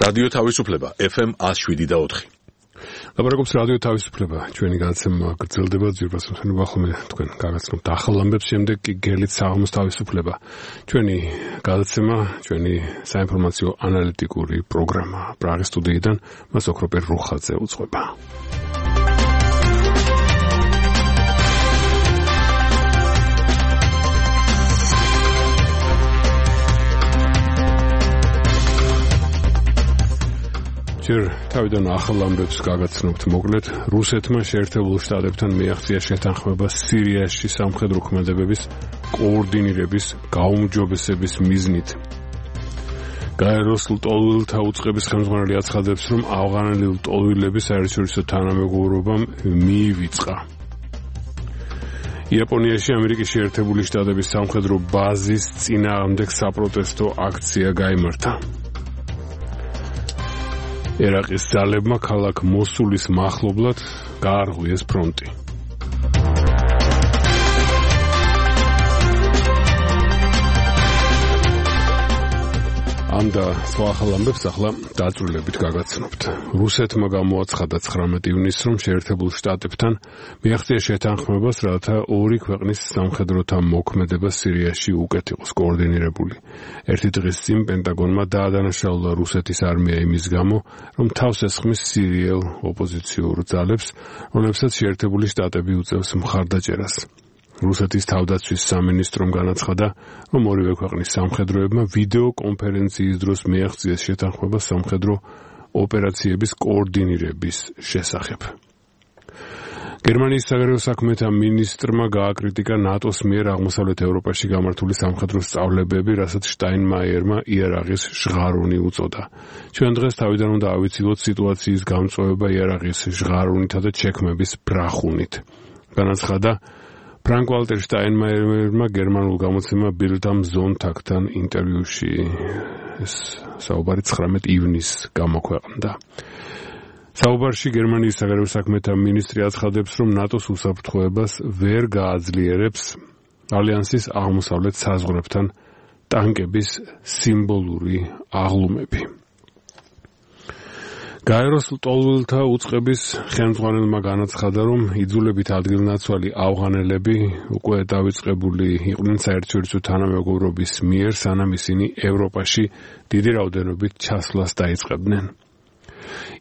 რადიო თავისუფლება FM 107.4. ლაპარაკობს რადიო თავისუფლება. ჩვენი გადაცემა გრძელდება ძირფას მსმენელობა ხოლმე თქვენ გაგაცნობთ ახალ ამბებს, შემდეგ კი გელით საღამოს თავისუფლება. ჩვენი გადაცემა, ჩვენი საინფორმაციო ანალიტიკური პროგრამა პრაღის სტუდიიდან მას ოქროპერ რუხაძე უძღვება. ჯერ თავიდან ახალ ამბებს გაგაცნობთ მოკლედ. რუსეთმა შეერთებულ შტატებთან მიაღწია შეთანხმება სირიაში სამხედრო ქმედებების კოორდინირების გაუმჯობესების მიზნით. გაეროს ლტოლვილთა უწყების ხელმძღვანელი აცხადებს, რომ ავღანელი ლტოლვილების საერთაშორისო თანამეგობრობამ მიივიწყა. იაპონიაში ამერიკის შეერთებული შტატების სამხედრო ბაზის წინააღმდეგ საპროტესტო აქცია გაიმართა. ერაყის ძალებმა ქალაქ მოსულის მახლობლად გაარღვიეს ფრონტი. ამ და სხვა ახალ ამბებს ახლა დაწვრილებით გაგაცნობთ. რუსეთმა გამოაცხადა 19 ივნისს, რომ შეერთებულ შტატებთან მიაღწია შეთანხმებას, რათა ორი ქვეყნის სამხედროთა მოქმედება სირიაში უკეთ იყოს კოორდინირებული. ერთი დღის წინ პენტაგონმა დაადანაშაულა რუსეთის არმია იმის გამო, რომ თავს ესხმის სირიელ ოპოზიციურ ძალებს, რომლებსაც შეერთებული შტატები უწევს მხარდაჭერას. რუსეთის თავდაცვის სამინისტრომ განაცხადა, რომ ორივე ქვეყნის სამხედროებმა ვიდეო კონფერენციის დროს მიაღწიეს შეთანხმება სამხედრო ოპერაციების კოორდინირების შესახებ. გერმანიის საგარეო საქმეთა მინისტრმა გააკრიტიკა ნატოს მიერ აღმოსავლეთ ევროპაში გამართული სამხედრო სწავლებები, რასაც შტაინმაიერმა იარაღის ჟღარუნი უწოდა. ჩვენ დღეს თავიდან უნდა ავიცილოთ სიტუაციის გამწვევება იარაღის ჟღარუნითა და ჩექმების ბრახუნით. განაცხადა ფრანკ-ვალტერ შტაინმაიერმა გერმანულ გამოცემა Bild am Sonntag-თან ინტერვიუში. ეს საუბარი 19 ივნისს გამოქვეყნდა. საუბარში გერმანიის საგარეო საქმეთა მინისტრი აცხადებს, რომ ნატოს უსაფრთხოებას ვერ გააძლიერებს ალიანსის აღმოსავლეთ საზღვრებთან ტანკების სიმბოლური აღლუმები. გაეროს ლტოლვილთა უწყების ხელმძღვანელმა განაცხადა, რომ იძულებით ადგილნაცვალი ავღანელები უკვე დავიწყებული იყვნენ საერთაშორისო თანამეგობრობის მიერ, სანამ ისინი ევროპაში დიდი რაოდენობით ჩასვლას დაიწყებდნენ.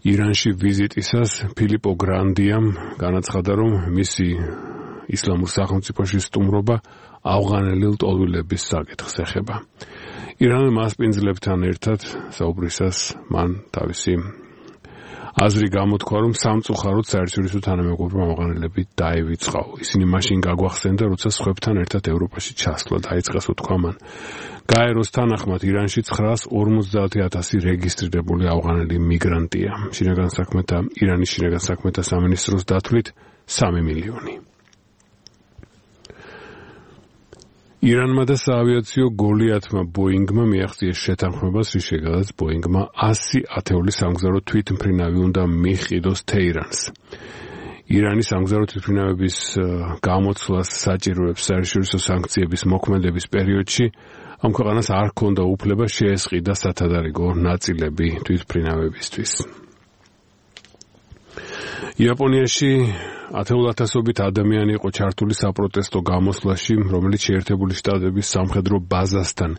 ირანში ვიზიტისას ფილიპო გრანდიამ განაცხადა, რომ მისი ისლამურ სახელმწიფოში სტუმრობა ავღანელი ლტოლვილების საკითხს ეხება. ირანელ მასპინძლებთან ერთად საუბრისას მან თავისი აზრი გამოთქვა, რომ სამწუხაროდ საერთაშორისო თანამეგობრობამ ავღანელები დაივიწყაო. ისინი მაშინ გაგვახსენდა, როცა სხვებთან ერთად ევროპაში ჩასვლა დაიწყეს, უთქვა მან. გაეროს თანახმად ირანში 950,000 რეგისტრირებული ავღანელი მიგრანტია. ირანის შინაგან საქმეთა სამინისტროს დათვლით 3 მილიონი. ირანმა და საავიაციო გოლიათმა ბოინგმა მიაღწიეს შეთანხმებას, რის შედეგადაც ბოინგმა 100 ათეული სამგზავრო თვითმფრინავი უნდა მიჰყიდოს თეირანს. ირანის სამგზავრო თვითმფრინავების გამოცვლას საჭიროებს საერთაშორისო სანქციების მოქმედების პერიოდში ამ ქვეყანას არ ჰქონდა უფლება შეესყიდა სათადარიგო ნაწილები თვითმფრინავებისთვის. იაპონიაში 10,000-ობით ადამიანი იყო ჩართული საპროტესტო გამოსვლაში, რომელიც შეერთებული შტატების სამხედრო ბაზასთან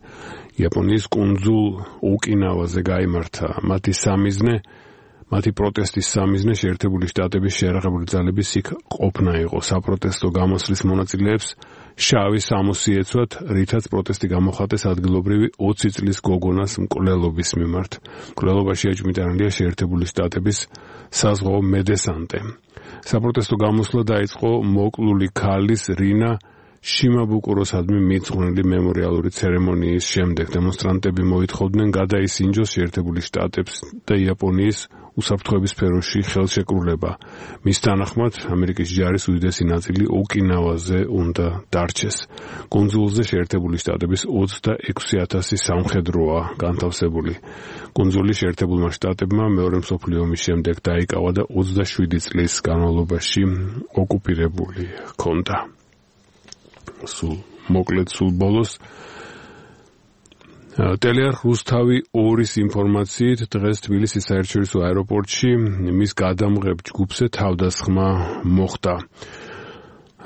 იაპონიის კუნძულ ოკინავაზე გაიმართა. მათი პროტესტის სამიზნე შეერთებული შტატების შეიარაღებული ძალების იქ ყოფნა იყო. საპროტესტო გამოსვლის მონაწილეებს შავი სამოსი ეცვათ, რითაც პროტესტი გამოხატეს ადგილობრივი 20 წლის გოგონას მკვლელობის მიმართ. მკვლელობაში ეჭვმიტანილია შეერთებული შტატების საზღვაო მედესანტე. საპროტესტო გამოსვლა დაიწყო მოკლული ქალის რინა შიმაბუკუროსადმი მიძღვნილი მემორიალური ცერემონიის შემდეგ. დემონსტრანტები მოითხოვდნენ გადაისინჯოს შეერთებული შტატებს და იაპონიის უსაფრთხოების სფეროში ხელშეკრულება. მის თანახმად ამერიკის ჯარის უდიდესი ნაწილი ოკინავაზე უნდა დარჩეს. კუნძულზე შეერთებული შტატების 26,000 სამხედროა განთავსებული. კუნძული შეერთებულმა შტატებმა მეორე მსოფლიო ომის შემდეგ დაიკავა და 27 წლის განმავლობაში ოკუპირებული ჰქონდა. სულ ბოლოს ტელეარხ რუსთავი 2-ის ინფორმაციით დღეს თბილისის საერთაშორისო აეროპორტში მის გადამღებ ჯგუფზე თავდასხმა მოხდა.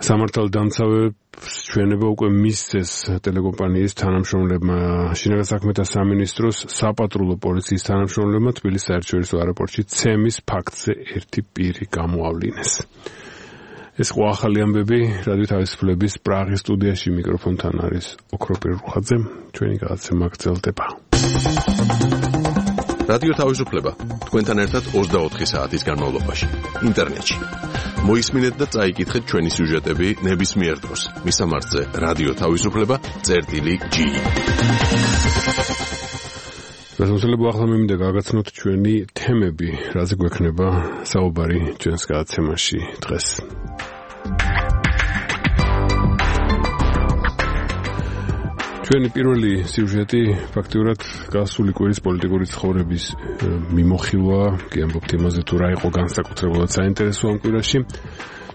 სამართალდამცავებს ჩვენება უკვე მისცეს ტელეკომპანიის თანამშრომლებმა. შინაგან საქმეთა სამინისტროს საპატრულო პოლიციის თანამშრომლებმა თბილისის საერთაშორისო აეროპორტში ცემის ფაქტზე ერთი პირი გამოავლინეს. ეს ყო ახალი ამბები რადიო თავისუფლების პრაღის სტუდიაში მიკროფონთან არის ოქროპირ რუხაძე. ჩვენი გადაცემა გრძელდება. რადიო თავისუფლება თქვენთან ერთად 24 საათის განმავლობაში ინტერნეტში. მოისმინეთ და წაიკითხეთ ჩვენი სიუჟეტები ნებისმიერ დროს. მისამართზე რადიო თავისუფლება.gi. გასამოსლებ ახლა მინდა გაგაცნოთ ჩვენი თემები, რაზე გვექნება საუბარი ჩვენს გადაცემაში დღეს. ჩვენი პირველი სიუჟეტი ფაქტიურად გასული კვირის პოლიტიკური ცხოვრების მიმოხილვა, კი ამბობთ იმაზე თუ რა იყო განსაკუთრებულად საინტერესო ამ კვირაში.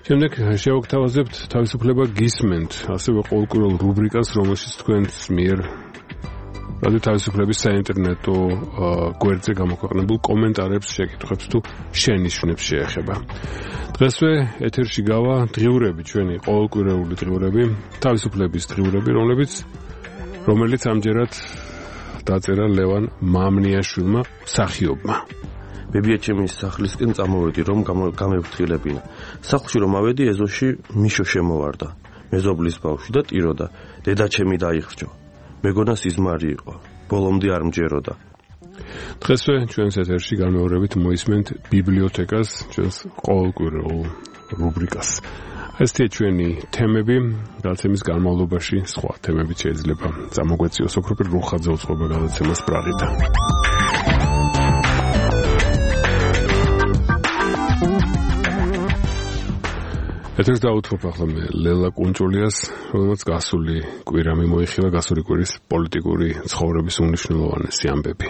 შემდეგ შევაგთავაზებთ თავისუფლება გისმენთ, ასევე ყოველკვირეულ რუბრიკას, რომელშიც თქვენს მიერ რადიო თავისუფლების საინტერნეტო გვერდზე გამოქვეყნებულ კომენტარებს, შეკითხვებს თუ შენიშვნებს შეეხება. დღესვე ეთერში გავა დღიურები, ჩვენი ყოველკვირეული დღიურები, თავისუფლების დღიურები, რომელიც ამჯერად დაწერა ლევან მამნიაშვილმა მსახიობმა. ბებიაჩემის სახლისკენ წამოვედი, რომ გამევფრთხილებინა. სახლში რომ ავედი, ეზოში მიშო შემოვარდა. მეზობლის ბავშვი და ტიროდა. დედაჩემი დაიხრჯო. მეგონა სიზმარი იყო. ბოლომდე არ მჯეროდა. დღესვე ჩვენს ეთერში განმეორებით მოისმენთ ბიბლიოთეკას, ჩვენს ყოველკვირეულ რუბრიკას. ესეთი ჩვენი თემები, გადაცემის განმავლობაში სხვა თემებიც შეიძლება წამოგვეციოს. ოქროპირ რუხაძე უწყობა გადაცემას პრაღიდან. ეთერს დაუთმობ ახლა მე ლელა კუნჭულიას, რომელმაც გასული კვირა მიმოიხილა, გასული კვირის პოლიტიკური ცხოვრების უმნიშვნელოვანესი ამბები.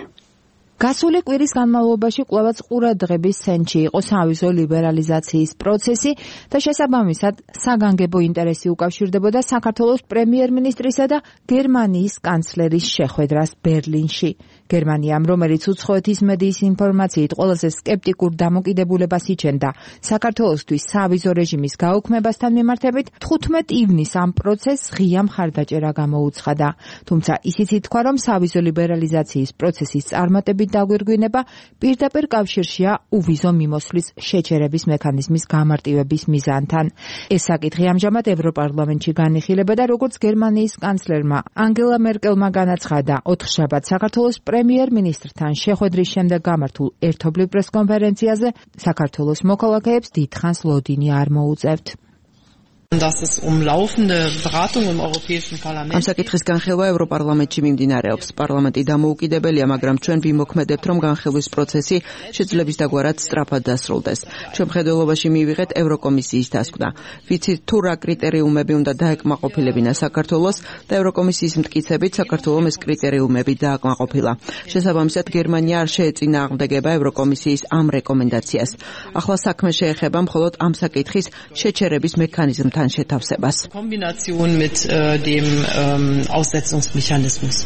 გასული კვირის განმავლობაში კვლავაც ყურადღების ცენტრში იყო სავიზო ლიბერალიზაციის პროცესი და შესაბამისად საგანგებო ინტერესი უკავშირდებოდა საქართველოს პრემიერ-მინისტრისა და გერმანიის კანცლერის შეხვედრას ბერლინში. გერმანიამ, რომელიც უცხოეთის მედიის ინფორმაციით ყველაზე სკეპტიკურ დამოკიდებულებას იჩენდა საქართველოსთვის სავიზო რეჟიმის გაუქმებასთან მიმართებით, 15 ივნისს ამ პროცესს ღია მხარდაჭერა გამოუცხადა. თუმცა ისიც ითქვა, რომ სავიზო ლიბერალიზაციის პროცესის წარმატებით დაგვირგვინება პირდაპირ კავშირშია უვიზო მიმოსვლის შეჩერების მექანიზმის გამარტივების მიზანთან. ეს საკითხი ამჟამად ევროპარლამენტში განიხილება და როგორც გერმანიის კანცლერმა ანგელა მერკელმა განაცხადა, 4 შაბათს საქართველოს პრემიერ-მინისტრთან შეხვედრის შემდეგ გამართულ ერთობლივ პრესკონფერენციაზე საქართველოს მოქალაქეებს დიდხანს ლოდინი არ მოუწევთ. dass es laufende Beratungen im Europäischen Parlament. Am საკითხის განხილვა ევროპარლამენტში მიმდინარეობს. პარლამენტი დამოუკიდებელია, მაგრამ ჩვენ ვიმოქმედებთ, რომ განხილვის პროცესი შეძლების დაგვარად სწრაფად დასრულდეს. ჩვენ მხედველობაში მივიღეთ ევროკომისიის დასკვნა. ვიცით თუ რა კრიტერიუმები უნდა დაეკმაყოფილებინა საქართველოს და ევროკომისიის მტკიცებით საქართველოს ეს კრიტერიუმები დააკმაყოფილა. შესაბამისად, გერმანია არ შეეწინააღმდეგება ევროკომისიის ამ რეკომენდაციას. ახლა საქმე შეეხება მხოლოდ ამ საკითხის შეჩერების მექანიზმთან შეთავსებას. Kombination mit dem Aussetzungsmechanismus.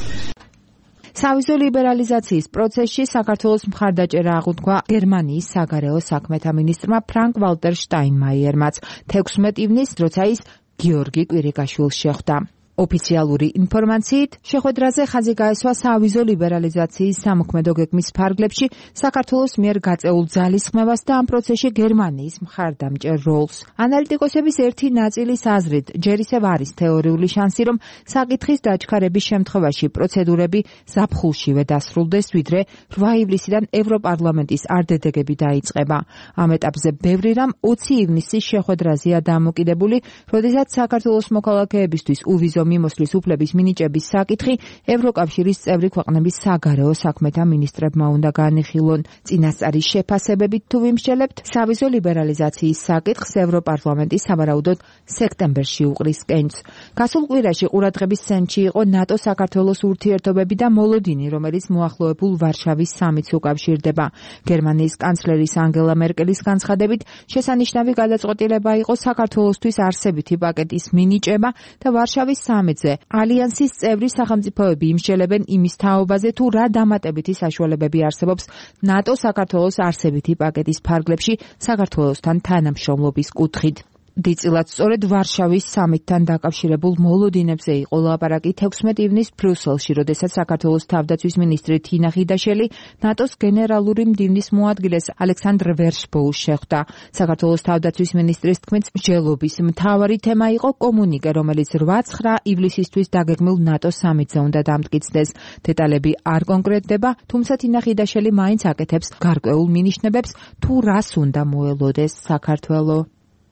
სავიზო ლიბერალიზაციის პროცესში საქართველოს მხარდაჭერა აღუდგა გერმანიის საგარეო საქმეთა მინისტრმა ფრანკ ვალტერ შტაინმაიერმაც 16 ივნისს, როცა ის გიორგი კვირიკაშვილს შეხვდა. ოფიციალური ინფორმაციით, შეხვედრაზე ხაზი გაესვა სავიზო ლიბერალიზაციის სამოქმედო გეგმის ფარგლებში საქართველოს მიერ გაწეულ ძალისხმევას და ამ პროცესში გერმანიის მხარდამჭერ როლს. ანალიტიკოსების ერთი ნაწილის აზრით, ჯერ ისევ არის თეორიული შანსი, რომ საკითხის დაჩქარების შემთხვევაში პროცედურები ზაფხულშივე დასრულდეს, ვიდრე 8 ივლისიდან ევროპარლამენტის არდებები დაიწყება. ამ ეტაპზე ბევრი რამ 20 ივნისის შეხვედრაზეა დამოკიდებული, როდესაც საქართველოს მოქალაქეებისთვის უვიზო მიმოსვლის უფლების მინიჭების საკითხი ევროკავშირის წევრი ქვეყნების საგარეო საქმეთა მინისტრებმა უნდა განიხილონ. წინასწარი შეფასებებით თუ ვიმსჯელებთ, სავიზო ლიბერალიზაციის საკითხს ევროპარლამენტი სავარაუდოდ სექტემბერში უყრის კენჭს. გასულ კვირაში ყურადღების ცენტრში იყო ნატო-საქართველოს ურთიერთობები და მოლოდინი, რომელიც მოახლოებულ ვარშავის სამიტს უკავშირდება. გერმანიის კანცლერის ანგელა მერკელის განცხადებით, შესანიშნავი გადაწყვეტილება იყო საქართველოსთვის არსებითი პაკეტის მინიჭება და ვარშავის 13-ზე ალიანსის წევრი სახელმწიფოები იმსჯელებენ იმის თაობაზე, თუ რა დამატებითი საშუალებები არსებობს ნატო საქართველოს არსებითი პაკეტის ფარგლებში საქართველოსთან თანამშრომლობის კუთხით. დიდწილად სწორედ ვარშავის სამიტთან დაკავშირებულ მოლოდინებზე იყო ლაპარაკი 16 ივნის ბრიუსელში, როდესაც საქართველოს თავდაცვის მინისტრი თინა ხიდაშელი ნატოს გენერალური მდივნის მოადგილეს ალექსანდრ ვერშბოუს შეხვდა. საქართველოს თავდაცვის მინისტრის თქმით, მსჯელობის მთავარი თემა იყო კომუნიკე, რომელიც 8-9 ივლისისთვის დაგეგმილ ნატოს სამიტზე უნდა დამტკიცდეს. დეტალები არ კონკრეტდება, თუმცა თინა ხიდაშელი მაინც აკეთებს გარკვეულ მინიშნებებს, თუ რას უნდა მოელოდეს საქართველო.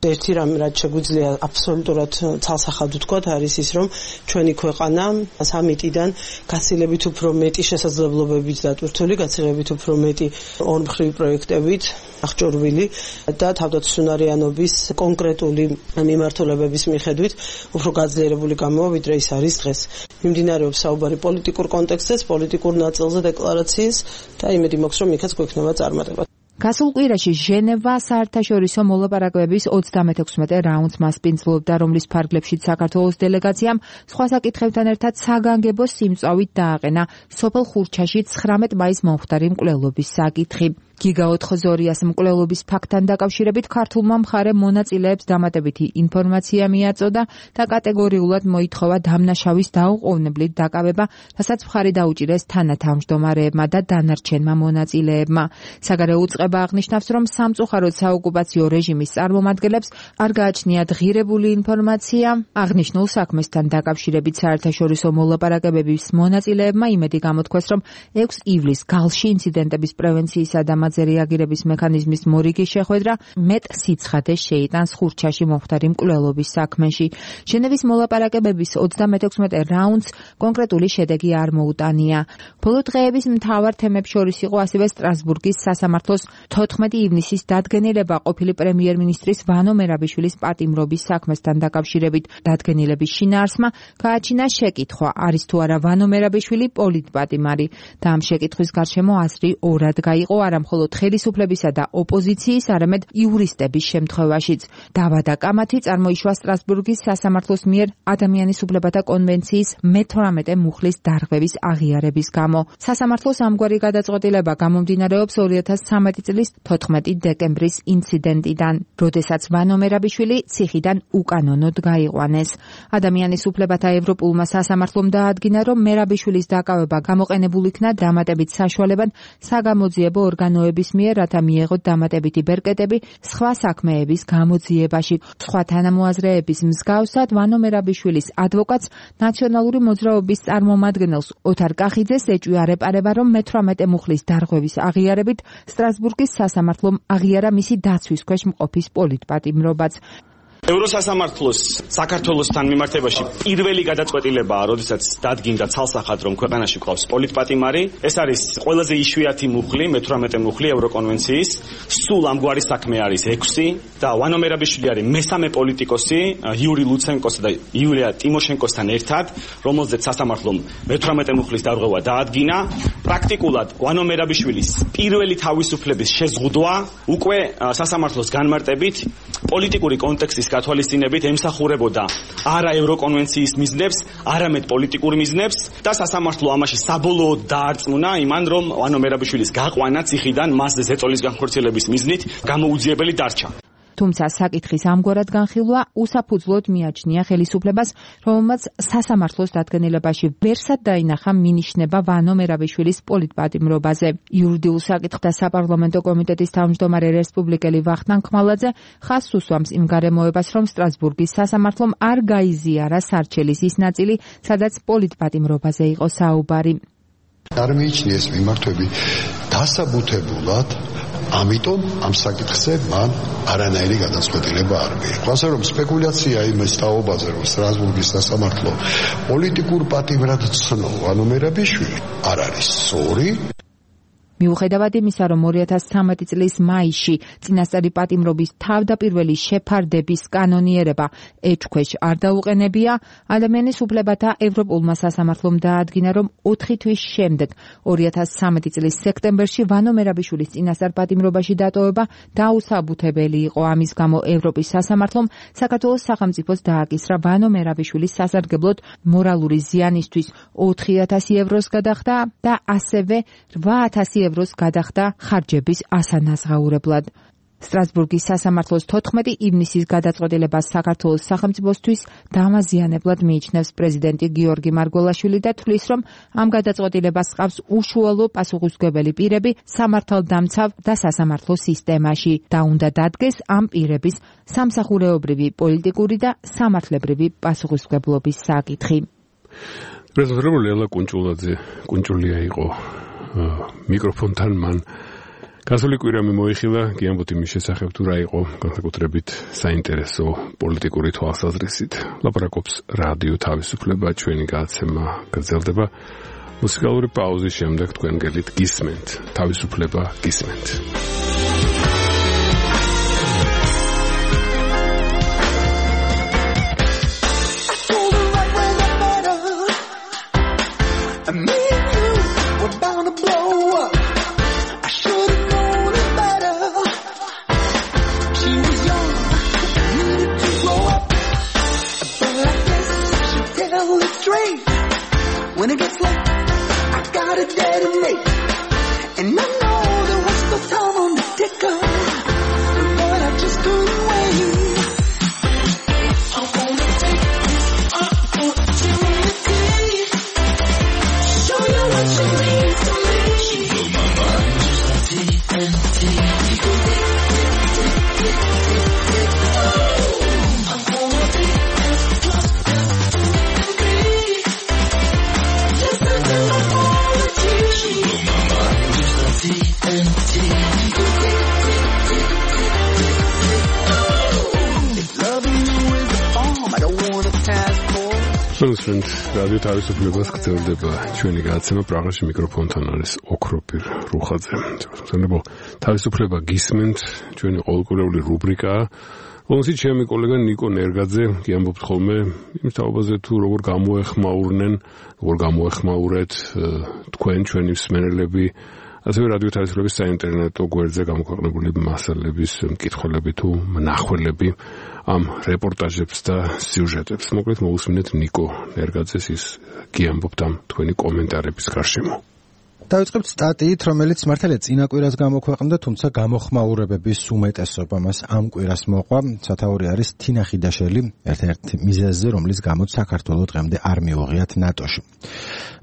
ერთი რამ რაც შეგვიძლია აბსოლუტურად ცალსახად ვთქვათ არის ის, რომ ჩვენი ქვეყანა სამიტიდან გაცილებით უფრო მეტი შესაძლებლობებით დატვირთული, გაცილებით უფრო მეტი ორმხრივი პროექტებით აღჭურვილი და თავდაცვისუნარიანობის კონკრეტული მიმართულებების მიხედვით უფრო გაძლიერებული გამოვა, ვიდრე ის არის დღეს. მიმდინარეობს საუბარი პოლიტიკურ კონტექსტზე, პოლიტიკურ ნაწილზე დეკლარაციის და იმედი მაქვს, რომ იქაც გვექნება წარმატება. გასულ კვირაში ჟენევა საერთაშორისო მოლაპარაკებების 36 რაუნდს მასპინძლობდა, რომლის ფარგლებშიც საქართველოს დელეგაციამ სხვა საკითხებთან ერთად საგანგებო სიმწავით დააყენა სოფელ ხურჩაში 19 მაისს მომხდარი მკვლელობის საკითხი. გიგა 402-ას მკვლელობის ფაქტთან დაკავშირებით ქართულმა მხარემ მონაწილეებს დამატებითი ინფორმაცია მიაწოდა და კატეგორიულად მოითხოვა დამნაშავის დაუყოვნებლივ დაკავება, რასაც მხარი დაუჭირეს თანათავმჯდომარეებმა და დანარჩენმა მონაწილეებმა. საგარეო უწყება აღნიშნავს, რომ სამწუხაროდ საოკუპაციო რეჟიმის წარმომადგენლებს არ გააჩნიათ ღირებული ინფორმაცია აღნიშნულ საქმესთან დაკავშირებით. საერთაშორისო მოლაპარაკებების მონაწილეებმა იმედი გამოთქვეს, რომ 6 ივლისს გალში ინციდენტების პრევენციისა და რეაგირების მექანიზმის მორიგი შეხვედრა მეტ სიცხადეს შეიტანს ხურჩაში მომხდარი მკვლელობის საქმეში. ჟენევის მოლაპარაკებების 36 რაუნდს კონკრეტული შედეგი არ მოუტანია. ბოლო დღეების მთავარ თემებს შორის იყო ასევე სტრასბურგის სასამართლოს 14 ივნისის დადგენილება ყოფილი პრემიერ-მინისტრის ვანო მერაბიშვილის პატიმრობის საქმესთან დაკავშირებით. დადგენილების შინაარსმა გააჩინა შეკითხვა, არის თუ არა ვანო მერაბიშვილი პოლიტპატიმარი და ამ შეკითხვის გარშემო აზრი ორად გაიყო, არა მხოლოდ ხელისუფლებისა და ოპოზიციის, არამედ იურისტების შემთხვევაშიც. დავა და კამათი წარმოიშვა სტრასბურგის სასამართლოს მიერ ადამიანის უფლებათა კონვენციის მე-18 მუხლის დარღვევის აღიარების გამო. სასამართლოს ამგვარი გადაწყვეტილება გამომდინარეობს 2013 წლის 14 დეკემბრის ინციდენტიდან, როდესაც ვანო მერაბიშვილი ციხიდან უკანონოდ გაიყვანეს. ადამიანის უფლებათა ევროპულმა სასამართლომ დაადგინა, რომ მერაბიშვილის დაკავება გამოყენებულ იქნა დამატებით საშუალებად საგამოძიებო ორგანოების მიერ, რათა მიეღოთ დამატებითი ბერკეტები სხვა საქმეების გამოძიებაში. სხვა თანამოაზრეების მსგავსად ვანო მერაბიშვილის ადვოკატს ნაციონალური მოძრაობის წარმომადგენელს ოთარ კახიძეს ეჭვია არეპარება, რომ მე-18 მუხლის დარღვევის აღიარებით სტრასბურგის სასამართლომ აღიარა მისი დაცვის ქვეშ მყოფის პოლიტპატიმრობაც. ევროსასამართლოს საქართველოსთან მიმართებაში პირველი გადაწყვეტილებაა, როდესაც დადგინდა ცალსახად, რომ ქვეყანაში გვყავს პოლიტპატიმარი. ეს არის ყველაზე იშვიათი მუხლი, მე-18 მუხლი ევროკონვენციის. სულ ამგვარი საქმე არის 6 და ვანო მერაბიშვილი არის მესამე პოლიტიკოსი იური ლუცენკოსა და იულია ტიმოშენკოსთან ერთად, რომელზეც სასამართლომ მე-18 მუხლის დარღვევა დაადგინა. პრაქტიკულად ვანო მერაბიშვილის პირველი თავისუფლების შეზღუდვა უკვე სასამართლოს განმარტებით პოლიტიკური კონტექსტის გათვალისწინებით ემსახურებოდა არა ევროკონვენციის მიზნებს, არამედ პოლიტიკურ მიზნებს და სასამართლო ამაში საბოლოოდ დაარწმუნა იმან, რომ ვანო მერაბიშვილის გაყვანა ციხიდან მასზე ზეწოლის განხორციელების მიზნით გამოუძიებელი დარჩა. თუმცა საკითხის ამგვარად განხილვა უსაფუძვლოდ მიაჩნია ხელისუფლებას, რომელმაც სასამართლოს დადგენილებაში ვერსად დაინახა მინიშნება ვანო მერაბიშვილის პოლიტპატიმრობაზე. იურიდიულ საკითხთა საპარლამენტო კომიტეტის თავმჯდომარე რესპუბლიკელი ვახტანგ ხმალაძე ხაზს უსვამს იმ გარემოებას, რომ სტრასბურგის სასამართლომ არ გაიზიარა სარჩელის ის ნაწილი, სადაც პოლიტპატიმრობაზე იყო საუბარი. არ მიიჩნიეს მიმართვები დასაბუთებულად, ამიტომ ამ საკითხზე მან არანაირი გადაწყვეტილება არ მიიღო. ასე რომ სპეკულაცია იმის თაობაზე, რომ სტრასბურგის სასამართლო პოლიტიკურ პატიმრად ცნო ვანო მერაბიშვილი, არ არის სწორი. მიუხედავად იმისა, რომ 2013 წლის მაისში წინასწარი პატიმრობის თავდაპირველი შეფარდების კანონიერება ეჭქვეშ არ დაუყენებია, ადამიანის უფლებათა ევროპულმა სასამართლომ დაადგინა, რომ 4 თვის შემდეგ 2013 წლის სექტემბერში ვანო მერაბიშვილის წინასწარ პატიმრობაში დატოვება დაუსაბუთებელი იყო. ამის გამო ევროპის სასამართლომ საქართველოს სახელმწიფოს დააკისრა ვანო მერაბიშვილის სასარგებლოდ მორალური ზიანისთვის 4,000 ევროს გადახდა და ასევე 8,000 ევროს გადახდა ხარჯების ასანაზღაურებლად. სტრასბურგის სასამართლოს 14 ივნისის გადაწყვეტილებას საქართველოს სახელმწიფოსთვის დამაზიანებლად მიიჩნევს პრეზიდენტი გიორგი მარგველაშვილი და თვლის, რომ ამ გადაწყვეტილებას ჰყავს უშუალო პასუხისმგებელი პირები სამართალდამცავ და სასამართლო სისტემაში და უნდა დადგეს ამ პირების სამსახურეობრივი, პოლიტიკური და სამართლებრივი პასუხისმგებლობის საკითხი. პრეზიდენტი ლელა კუნჭულია იყო მიკროფონთან მან გასული კვირა მოიხილა გიამბოთ იმის შესახებ თუ რა იყო განსაკუთრებით საინტერესო პოლიტიკური თვალსაზრისით. ლაპარაკობს რადიო თავისუფლება, ჩვენი გადაცემა გრძელდება. მუსიკალური პაუზის შემდეგ თქვენ გელით გისმენთ. თავისუფლება გისმენთ. When it gets late, I gotta detonate. And I know there was no time on the ticker, but I just couldn't wait. I wanna take this opportunity, show you what you mean to me. She blew my mind just like TNT. I'm gonna be as close as you can be. Მსმენელთ, რადიო თავისუფლებას გრძელდება ჩვენი გადაცემა. პრაღაში მიკროფონთან არის ოქროპირ რუხაძე. მსმენელებო, თავისუფლება გისმენთ, ჩვენი ყოველკვირეული რუბრიკაა. რომელშიც ჩემი კოლეგა ნიკო ნერგაძე გიამბობთ ხოლმე იმ თაობაზე თუ როგორ გამოეხმაურეთ თქვენ ჩვენი მსმენელები, ასევე რადიო თავისუფლების საინტერნეტო გვერდზე გამოქვეყნებული მასალების მკითხველები თუ მნახველები ამ რეპორტაჟებს და სიუჟეტებს. მოკლედ მოусმინეთ ნიკო ნერგაძეს, ის გიამბობთ ამ თქვენი კომენტარების გარშემო. დავიწყებთ სტატიით, რომელიც მართალია წინა კვირას გამოქვეყნდა, თუმცა გამოხმაურებების უმეტესობა მას ამ კვირას მოყვა. სათაური არის თინა ხიდაშელი, ერთ-ერთი მიზეზზე, რომლის გამოც საქართველოს დღემდე არ მიუღიათ ნატოში.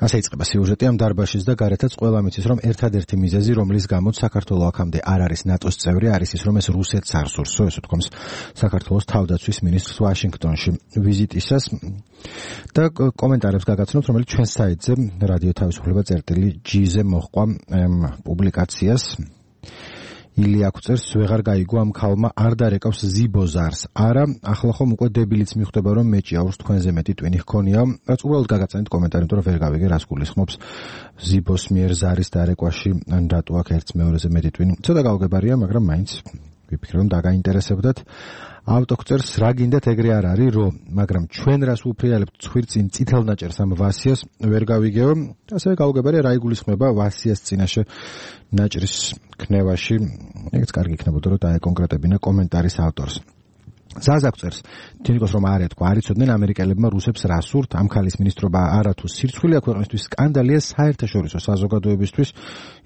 ასე იწყება სიუჟეტი ამ დარბაშის და გარეთაც ყველა მიცის, რომ ერთადერთი მიზეზი, რომლის გამოც საქართველოს აქამდე არ არის ნატოს წევრი, არის ის, რომ ეს რუსეთს არ სურს, ესე თქვამს საქართველოს თავდაცვის მინისტრს ვაშინგტონში ვიზიტისას. და კომენტარებს გაგაცნობთ, რომელიც ჩვენ საიტზე რადიო თავისუფლება წერტილი.gz-ზე მოჰყვა პუბლიკაციას. ილია აკუწერს, ვეღარ გაიგო ამ ქალმა არ დარეკავს ზიბოზარს. არა, ახლა ხომ უკვე დებილიც მიხვდება, რომ მეჭი აურს თქვენზე მეტი ტვინი ჰქონია. რაც უბრალოდ გაგაცანეთ კომენტარი, იმიტომ რომ ვერ გავიგე რას გულისხმობს ზიბოს მიერ ზარის დარეკვაში, ან რატო აქ ერთს მეორეზე მეტი ტვინი. ცოტა გავგებარია, მაგრამ მაინც ვიფიქრე, რომ დაგაინტერესებდათ. ავტოქწერს რა გინდათ ეგრე არ არის რომ, მაგრამ ჩვენ რას უფრიალებთ ცხვირწინ წითელ ნაჭერს ამ ვასიას ვერ გავიგეო. ასევე გავგებარია რა იგულისხმება ვასიას წინაშე ნაჭრის ქნევაში. ეგეც კარგი იქნებოდა რომ დაეკონკრეტებინა კომენტარის ავტორს. ზაზაკწერს, თინიკოს რომ არ ეთქვა, არ იცოდნენ ამერიკელებმა რუსებს რა სურთ, ამ ქალის მინისტრობა არათუ სირცხვილია ქვეყნისთვის, სკანდალია საერთაშორისო საზოგადოებისთვის,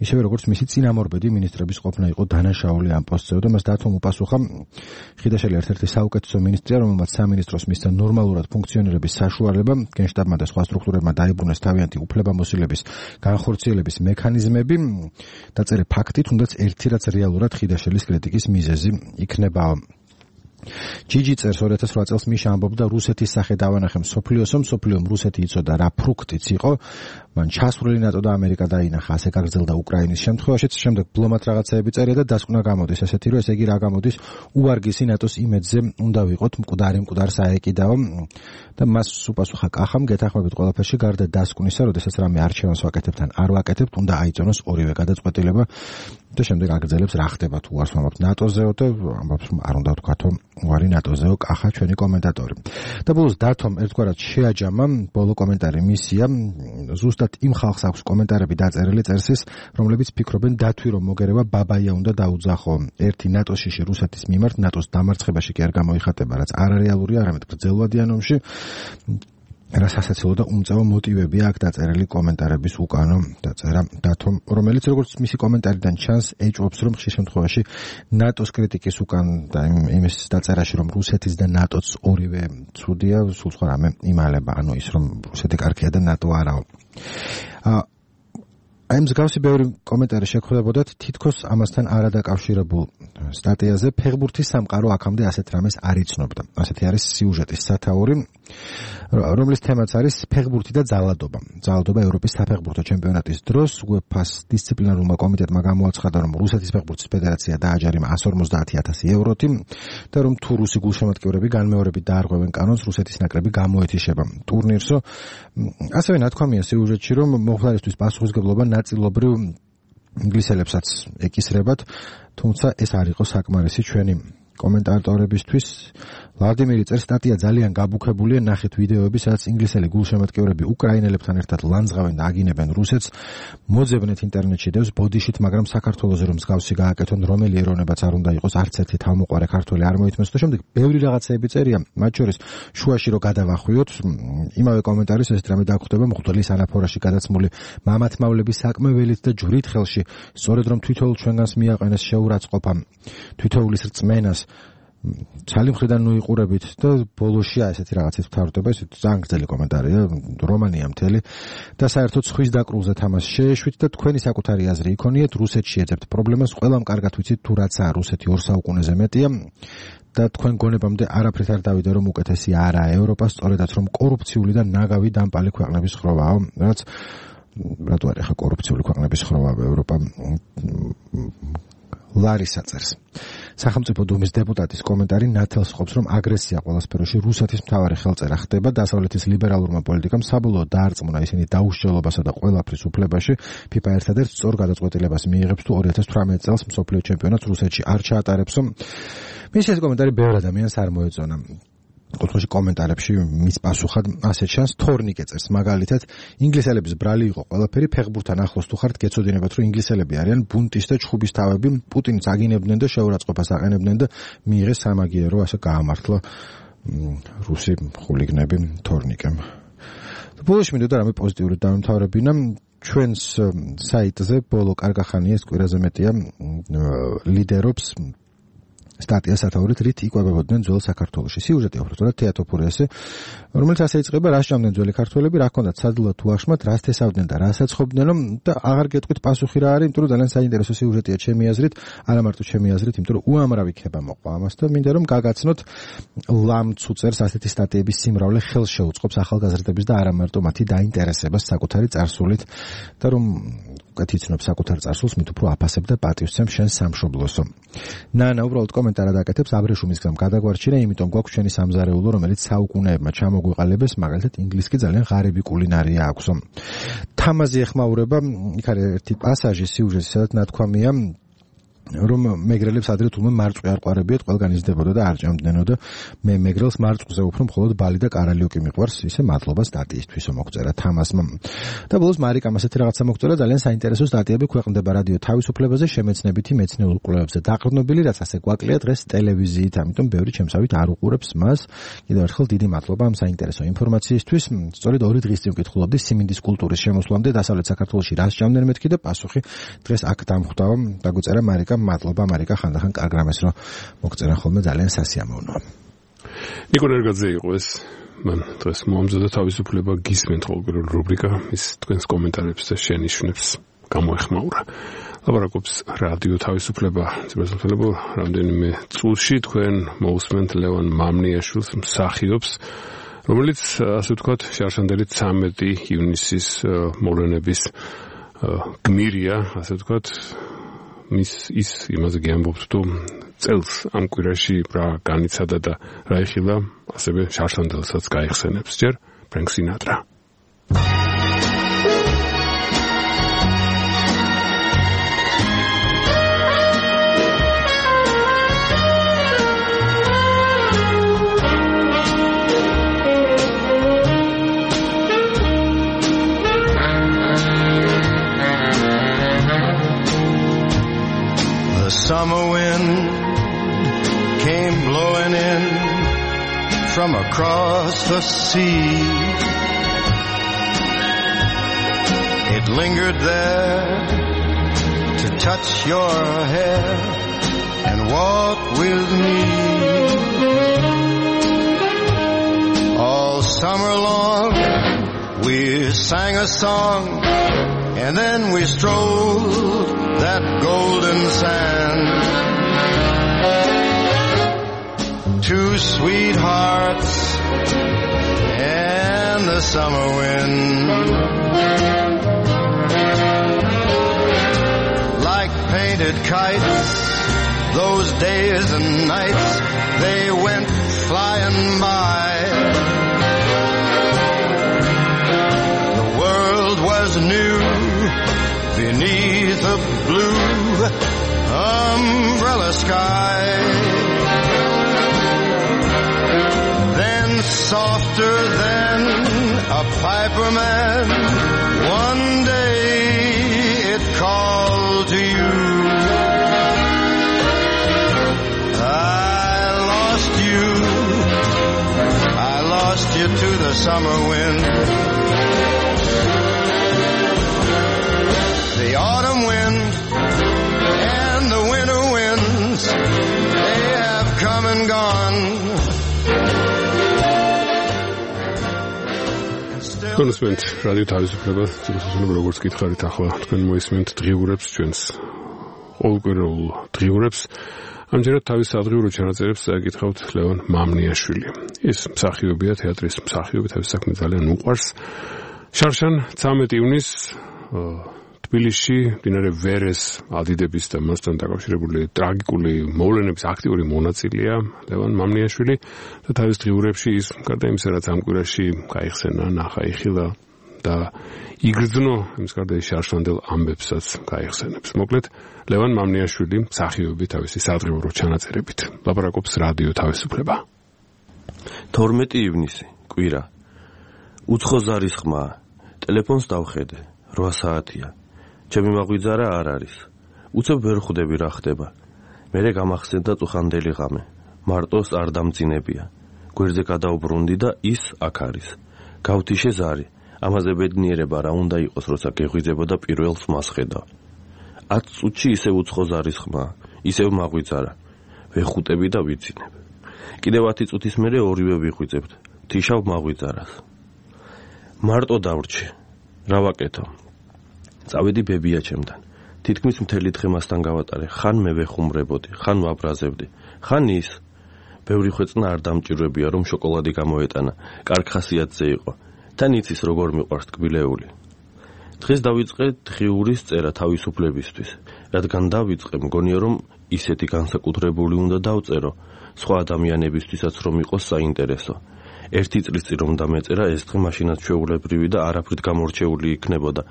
ისევე როგორც მისი წინამორბედი მინისტრების ყოფნა იყო დანაშაული ამ პოსტზე და მას დათომ უპასუხა. ხიდაშელი ერთ-ერთი საუკეთესო მინისტრია, რომელმაც სამინისტროს მისცა ნორმალურად ფუნქციონირების საშუალება, გენშტაბმა და სხვა სტრუქტურებმა დაიბრუნეს თავიანთი უფლებამოსილების განხორციელების მექანიზმები. დაწერე ფაქტი, თუნდაც ერთი რაც რეალურად ხიდაშელის კრიტიკის მიზეზი იქნება. ჯიჯი წერს 2008 წელს მიშა ამბობდა რუსეთის სახე დავანახე მსოფლიოსო, მსოფლიომ რუსეთი იცოდა რა ფრუქტიც იყო, მან ჩასვლილი ნატო და ამერიკა დაინახა, ასე გაგრძელდა უკრაინის შემთხვევაშიც, შემდეგ ბლომად რაღაცეები წერია და დასკვნა გამოდის ესეთი, რომ ესე იგი რა გამოდის, უვარგისი ნატოს იმედზე უნდა ვიყოთ, მკვდარ საეკიდაო და მას უპასუხა კახამ, გეთახმებით ყველაფერში გარდა დასკვნისა, როდესაც რამე არჩევანს ვაკეთებთ ან არ ვაკეთებთ, უნდა აიწონოს ორივე გადაწყვეტილება და შემდეგ აგრძელებს რა ხდება თუ არ ვამბობთ ნატოზეო და ამბობს არ უნდა ვთქვათო უარი ნატოზეო კახა ჩვენი კომენტატორი. და ბოლოს დათომ ერთგვარად შეაჯამა ბოლო კომენტარი მისია ზუსტად იმ ხალხს აქვს კომენტარები დაწერილი წერსის, რომლებიც ფიქრობენ დათვი რომ მოგერება ბაბაია უნდა დაუძახო. ერთი ნატოში რუსეთის მიმართ ნატოს დამარცხებაში კი არ გამოიხატება, რაც არარეალურია, არამედ გრძელვადიან ომში. რა სასაცილო და უმწავა მოტივებია აქ დაწერილი კომენტარების უკანო დაწერა დათომ, რომელიც როგორც მისი კომენტარიდან ჩანს, ეჭვობს რომ ხშირ შემთხვევაში ნატოს კრიტიკის უკან და იმის დაწერაში რომ რუსეთის და ნატოც ორივე ცუდია, სულ სხვა რამე იმალება, ანუ ის რომ რუსეთი კარგია და ნატო არაო. აი მსგავსი ბევრი კომენტარი შეგხვდებოდათ თითქოს ამასთან არადაკავშირებულ სტატიაზე. ფეხბურთის სამყარო აქამდე ასეთ რამეს არ იცნობდა. ასეთი არის სიუჟეტის სათაური, რომლის თემაც არის ფეხბურთი და ძალადობა. ძალადობა ევროპის საფეხბურთო ჩემპიონატის დროს UEFA-ს დისციპლინარულმა კომიტეტმა გამოაცხადა, რომ რუსეთის ფეხბურთის ფედერაცია დააჯარიმა 150,000 ევროთი და რომ თუ რუსი გულშემატკივრები განმეორებით დაარღვევენ კანონს, რუსეთის ნაკრები გამოეთიშება ტურნირსო. ასევე ნათქვამია სიუჟეტში, რომ მომხდარისთვის პასუხისმგებლობა ნაწილობრივ ინგლისელებსაც ეკისრებათ, თუმცა ეს არ იყო საკმარისი ჩვენი კომენტატორებისთვის. ვლადიმირი წერს, სტატია ძალიან გაბუქებულია, ნახეთ ვიდეოები, სადაც ინგლისელი გულშემატკივრები უკრაინელებთან ერთად ლანძღავენ და აგინებენ რუსეთს. მოძებნეთ ინტერნეტში დევს ბოდიშით, მაგრამ საქართველოზე რომ მსგავსი გააკეთონ, რომელი ეროვნებაც არ უნდა იყოს, არც ერთი თავმოყარე ქართველი არ მოითმეს და შემდეგ ბევრი რაღაცეები წერია, მათ შორის შუაში რომ გადავახვიოთ, იმავე კომენტარის ეს რამე დაგვხვდება მღვდლის ანაფორაში გადაცმული მამათმავლების საკმეველით და ჯვრით ხელში, სწორედ რომ თვითოულ ჩვენგანს მიაყენეს შეურაცხყოფა თვითოულის რწმენას ცალი მხრიდან ნუიყურებით და ბოლოში ესეთი რაღაცის ვთავრდება, ეს ძალიან გრძელი კომენტარია, რომანია მთელი და საერთოდ ხვის დაკრულზე თამას შეეშვით და თქვენი საკუთარი აზრი იქონიეთ, რუსეთში ეძებთ პრობლემას, ყველამ კარგად ვიცით თუ რაცაა რუსეთი 2 საუკუნეზე მეტია და თქვენ გონებამდე არაფრით არ დავიდა რომ უკეთესი არაა ევროპა, სწორედაც რომ კორუფციული და ნაგავი დამპალი ქვეყნების ხროვაა, რაც რატო არ ახლა კორუფციული ქვეყნების ხროვაა ევროპა. ლარისა წერს. სახელმწიფო დუმის დეპუტატის კომენტარი ნათელს ყოფს, რომ აგრესია ყველა სფეროში რუსეთის მთავარი ხელწერა ხდება, დასავლეთის ლიბერალურმა პოლიტიკამ საბოლოოდ დაარწმუნა ისინი დაუსჯელობასა და ყველაფრის უფლებაში. FIFA ერთადერთ სწორ გადაწყვეტილებას მიიღებს თუ 2018 წელს მსოფლიო ჩემპიონატს რუსეთში არ ჩაატარებსო. მისი ეს კომენტარი ბევრ ადამიანს არ მოეწონა. ოთხში კომენტარებში მის პასუხად ასე ჩანს, თორნიკე წერს, მაგალითად, ინგლისელების ბრალი იყო ყველაფერი, ფეხბურთთან ახლოს თუ ხართ, გეცოდინებათ, რომ ინგლისელები არიან ბუნტის და ჩხუბის თავები, პუტინს აგინებდნენ და შეურაცხყოფას აყენებდნენ და მიიღეს სამაგიერო, ასე გაამართლა რუსი ხულიგნები თორნიკემ. ბოლოში მინდოდა რამე პოზიტიური დავემთავრებინა. ჩვენს საიტზე ბოლო კარგახანია, ეს კვირაზე მეტია ლიდერობს სტატია სათაურით რით იკვებებოდნენ ძველ საქართველოში. სიუჟეტი უბრალოდ თეატროფურიასე, რომელიც ასე იწყება, რას ჭამდნენ ძველი ქართველები, რა ჰქონდათ სადლა თუ აღშმათ, რას თესავდნენ და რას აცხობდნენ და აღარ გეტყვით პასუხი რა არის, იმიტომ რომ ძალიან საინტერესო სიუჟეტია ჩემი აზრით, არა მარტო ჩემი აზრით, იმიტომ რომ უამრავი ქება მოყვა ამას და მინდა რომ გაგაცნოთ ლამცუ წერს ასეთი სტატიების სიმრავლე ხელს შეუწყობს ახალგაზრდების და არა მარტო მათი დაინტერესებას საკუთარი წარსულით და რომ გათიცნობ საკუთარ წარსულს, მით უფრო აფასებ და პატივცემ შენ სამშობლოსო. ნანა უბრალოდ კომენტარ ადაკეთებს, აბრეშუმის გზამ გადაგვარჩინა, იმიტომ გვაქვს ჩვენი სამზარეულო, რომელიც საუკუნეებმა ჩამოგვიყალიბეს, მაგალითად ინგლისკი ძალიან ღარიბი კულინარია აქვსო. თამაზი ეხმაურება, იქ არის ერთი პასაჟი სიუჟეტში, სადაც ნათქვამია, რომ მეგრელებს ადრე თულმე მარწყვი არ ყვარებიათ, ყველგან იზრდებოდა და არ ჭამდნენო და მე მეგრელს მარწყვზე უფრო მხოლოდ ბალი და კარალიოკი მიყვარს, ისე მადლობა სტატიისთვისო მოგწერა თამასმა. და ბოლოს მარიკამ ასეთი რაღაცა მოგწერა, ძალიან საინტერესო სტატიები ქვეყნდება რადიო თავისუფლებაზე, შემეცნებითი მეცნიერულ კვლევებზე დაყრდნობილი, რაც ასე გვაკლია დღეს ტელევიზიით, ამიტომ ბევრი ჩემსავით არ უყურებს მას. კიდევ ერთხელ დიდი მადლობა ამ საინტერესო ინფორმაციისთვის. სწორედ 2 დღის წინ ვკითხულობდი სიმინდის კულტურის შემოსვლამდე დასავლეთ საქართველოში რას ჭამდნენ მეთქი და პასუხი დღეს აქ დამხვდავა, დაგვწერა მარიკა. მადლობა მარიკა, ხანდახან კარგ რამეს რომ მოგწერან ხოლმე ძალიან სასიამოვნოა. ნიკო ნერგაძე იყო ეს. მან დღეს მოამზადა თავისუფლება გისმენთ ყოველგვარ რუბრიკა, ის თქვენს კომენტარებს და შენიშვნებს გამოეხმაურა. ლაპარაკობს რადიო თავისუფლება ძირითადად რამდენიმე წუთში თქვენ მოусმენთ ლევან მამნიაშვილს მსახიობს, რომელიც ასე ვთქვათ შარშანდელი 13 ივნისის მოვლენების გმირია, ასე ვთქვათ, ის იმაზე გიამბობთ, თუ წელს ამ კვირაში რა განიცადა და რა იხილა, ასევე შარშანდელსაც გაიხსენებს ჯერ ფრენკ სინატრა. Summer wind came blowing in from across the sea. It lingered there to touch your hair and walk with me. All summer long we sang a song and then we strolled that golden sand. Two sweethearts and the summer wind, like painted kites, those days and nights, they went flying by. The world was new beneath a blue umbrella sky. Then softer than a piper man, one day it called to you. I lost you to the summer wind. The autumn wind and the winter winds, they have come and gone. კონსმენთ რადიო თავისუფლება ძირითადად როგორც გითხარით ახლა თქვენ მოისმენთ დღიურებს ჩვენს ყოველკვირეულ დღიურებს. ამჯერად თავის სადღიურო ჩანაწერებს გითხავთ ლევან მამნიაშვილი. ის მსახიობია, თეატრის მსახიობი, თავის საქმე ძალიან უყვარს. შარშან 13 ივნისს თბილისში მდინარე ვერეს ადიდების და მასთან დაკავშირებული ტრაგიკული მოვლენების აქტიური მონაწილეა ლევან მამნიაშვილი და თავის დღიურებში ის გარდა იმისა, რაც ამ კვირაში გაიხსენა, ნახა, იხილა და იგრძნო, იმის გარდა ის შარშანდელ ამბებსაც გაიხსენებს. მოკლედ, ლევან მამნიაშვილი მსახიობი თავისი სადღიურო ჩანაწერებით. ლაპარაკობს რადიო თავისუფლება. 12 ივნისი, კვირა. უცხო ზარის ხმა. ტელეფონს დავხედე. 8 საათია. ჩემი მაღვიძარა არ არის. უცებ ვერ ხვდები რა ხდება. მერე გამახსენდა წუხანდელი ღამე. მარტოს არ დამძინებია. გვერდზე გადავბრუნდი და ის აქ არის. გავთიშე ზარი. ამაზე ბედნიერება რა უნდა იყოს, როცა გეღვიძებოდა პირველს მასხედა. 10 წუთში ისევ უცხო ზარის ხმა, ისევ მაღვიძარა. ვეხუტები და ვიცინებ. კიდევ 10 წუთის მერე ორივე ვიხვიძებთ. თიშავ მაღვიძარას. მარტო დავრჩი. რა ვაკეთო? წავედი ბებია ჩემთან. თითქმის მთელი დღე მასთან გავატარე. ხან მე ვეხუმრებოდი, ხან ვაბრაზებდი, ხან ის. ბევრი ხვეწნა არ დამჭირვებია, რომ შოკოლადი გამოეტანა. კარგ ხასიათზე იყო. თან იცის როგორ მიყვარს ტკბილეული. დღეს დავიწყე დღიურის წერა თავისუფლებისთვის. რადგან დავიწყე, მგონია რომ ისეთი განსაკუთრებული უნდა დავწერო, სხვა ადამიანებისთვისაც რომ იყოს საინტერესო. 1 წლის წინ რომ დამეწერა, ეს დღე მაშინაც ჩვეულებრივი და არაფრით გამორჩეული იქნებოდა,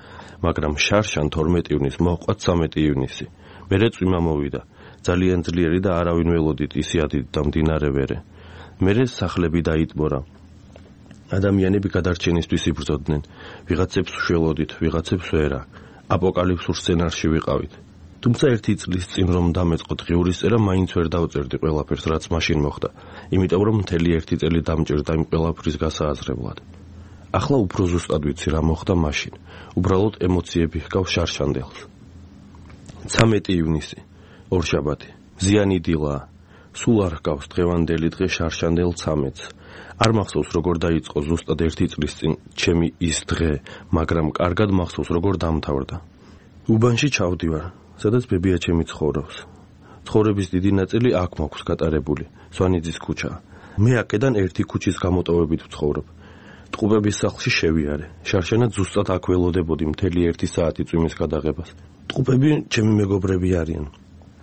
მაგრამ შარშან 12 ივნისს მოჰყვა 13 ივნისი. მერე წვიმა მოვიდა. ძალიან ძლიერი და არავინ ველოდით ისი ადიდდა მდინარე ვერე. მერე სახლები დაიტბორა. ადამიანები გადარჩენისთვის იბრძოდნენ. ვიღაცებს უშველოდით, ვიღაცებს ვერა. აპოკალიფსურ სცენარში ვიყავით. თუმცა 1 წლის წინ რომ დამეწყო დღიურის წერა, მაინც ვერ დავწერდი ყველაფერს, რაც მაშინ მოხდა. იმიტომ რომ მთელი 1 წელი დამჭირდა იმ ყველაფრის გასააზრებლად. ახლა უფრო ზუსტად ვიცი რა მოხდა მაშინ. უბრალოდ ემოციები ჰგავს შარშანდელს. 13 ივნისი, ორშაბათი. ზიანი დილაა. სულ არ ჰგავს დღევანდელი დღე შარშანდელ 13-ს. არ მახსოვს როგორ დაიწყო ზუსტად 1 წლის წინ ჩემი ის დღე, მაგრამ კარგად მახსოვს როგორ დამთავრდა. უბანში ჩავდივარ, სადაც ბებია ჩემი ცხოვრობს. ცხოვრების დიდი ნაწილი აქ მაქვს გატარებული, სვანიძის ქუჩა. მე აქედან ერთი ქუჩის გამოტოვებით ვცხოვრობ. ტყუპების სახლში შევიარე. შარშანად ზუსტად აქ ველოდებოდი მთელი 1 საათი წვიმის გადაღებას. ტყუპები ჩემი მეგობრები არიან.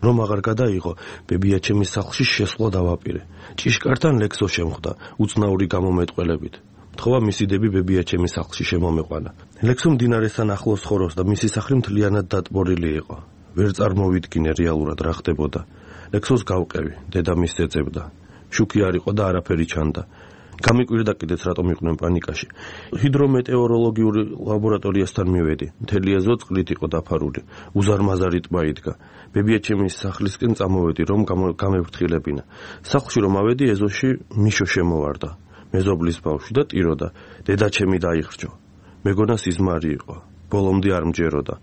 რომ აღარ გადაიღო, ბებია ჩემის სახლში შესვლა დავაპირე. ჭიშკართან ლექსო შემხვდა, უცნაური გამომეტყველებით. თხოვა მისი დები ბებია ჩემის სახლში შემომეყვანა. ლექსო მდინარესთან ახლოს ცხოვრობს და მისი სახლი მთლიანად დატბორილი იყო. ვერ წარმოვიდგინე რეალურად რა ხდებოდა. ლექსოს გავყევი, დედამისს ეწევდა. შუქი არ იყო და არაფერი ჩანდა. გამიკვირდა კიდეც რატომ იყვნენ პანიკაში. ჰიდრომეტეოროლოგიური ლაბორატორიასთან მივედი. მთელი ეზო წყლით იყო დაფარული. უზარმაზარი ტბა იდგა. ბებია ჩემის სახლისკენ წამოვედი, რომ გამევფრთხილებინა. სახლში რომ ავედი, ეზოში მიშო შემოვარდა. მეზობლის ბავშვი და ტიროდა. დედა ჩემი დაიხრჯო. მეგონა სიზმარი იყო. ბოლომდე არ მჯეროდა.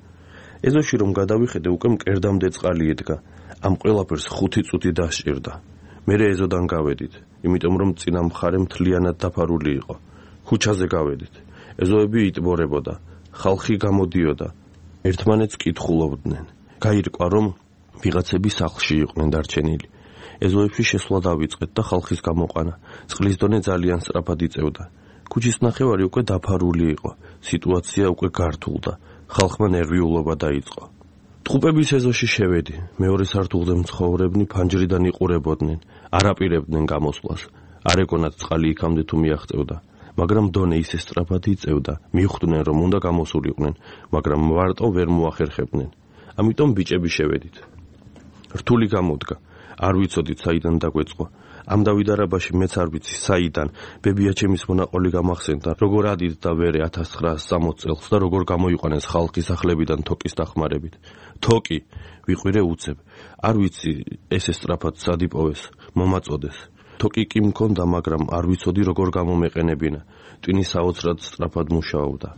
ეზოში რომ გადავიხედე, უკვე მკერდამდე წყალი იდგა. ამ ყველაფერს 5 წუთი დასჭირდა. მერე ეზოდან გავედით, იმიტომ რომ წინა მხარე მთლიანად დაფარული იყო. ქუჩაზე გავედით. ეზოები იტბორებოდა, ხალხი გამოდიოდა. ერთმანეთს კითხულობდნენ. გაირკვა, რომ ვიღაცები სახლში იყვნენ დარჩენილი. ეზოებში შესვლა დავიწყეთ და ხალხის გამოყვანა. წყლის დონე ძალიან სწრაფად იწევდა. ქუჩის ნახევარი უკვე დაფარული იყო. სიტუაცია უკვე გართულდა. ხალხმა ნერვიულობა დაიწყო. ტყუპების ეზოში შევედი. მეორე სართულზე მცხოვრებნი ფანჯრიდან იყურებოდნენ. არ აპირებდნენ გამოსვლას. არ ეკონათ წყალი იქამდე თუ მიაღწევდა. მაგრამ დონე ისე სწრაფად იწევდა. მიხვდნენ რომ უნდა გამოსულიყვნენ, მაგრამ მარტო ვერ მოახერხებდნენ. ამიტომ ბიჭები შევედით. რთული გამოდგა. არ ვიცოდით საიდან დაგვეწყო. ამ დავიდარებაში მეც არ ვიცი საიდან. ბებია ჩემის მონაყოლი გამახსენდა, როგორ ადით და ვერე 1960 წელს და როგორ გამოიყვანეს ხალხი სახლებიდან თოკის დახმარებით. თოკი ვიყვირე უცებ. არ ვიცი ესე სწრაფად სად იპოვეს, მომაწოდეს. თოკი კი მქონდა, მაგრამ არ ვიცოდი როგორ გამომეყენებინა. ტვინი საოცრად სწრაფად მუშაობდა.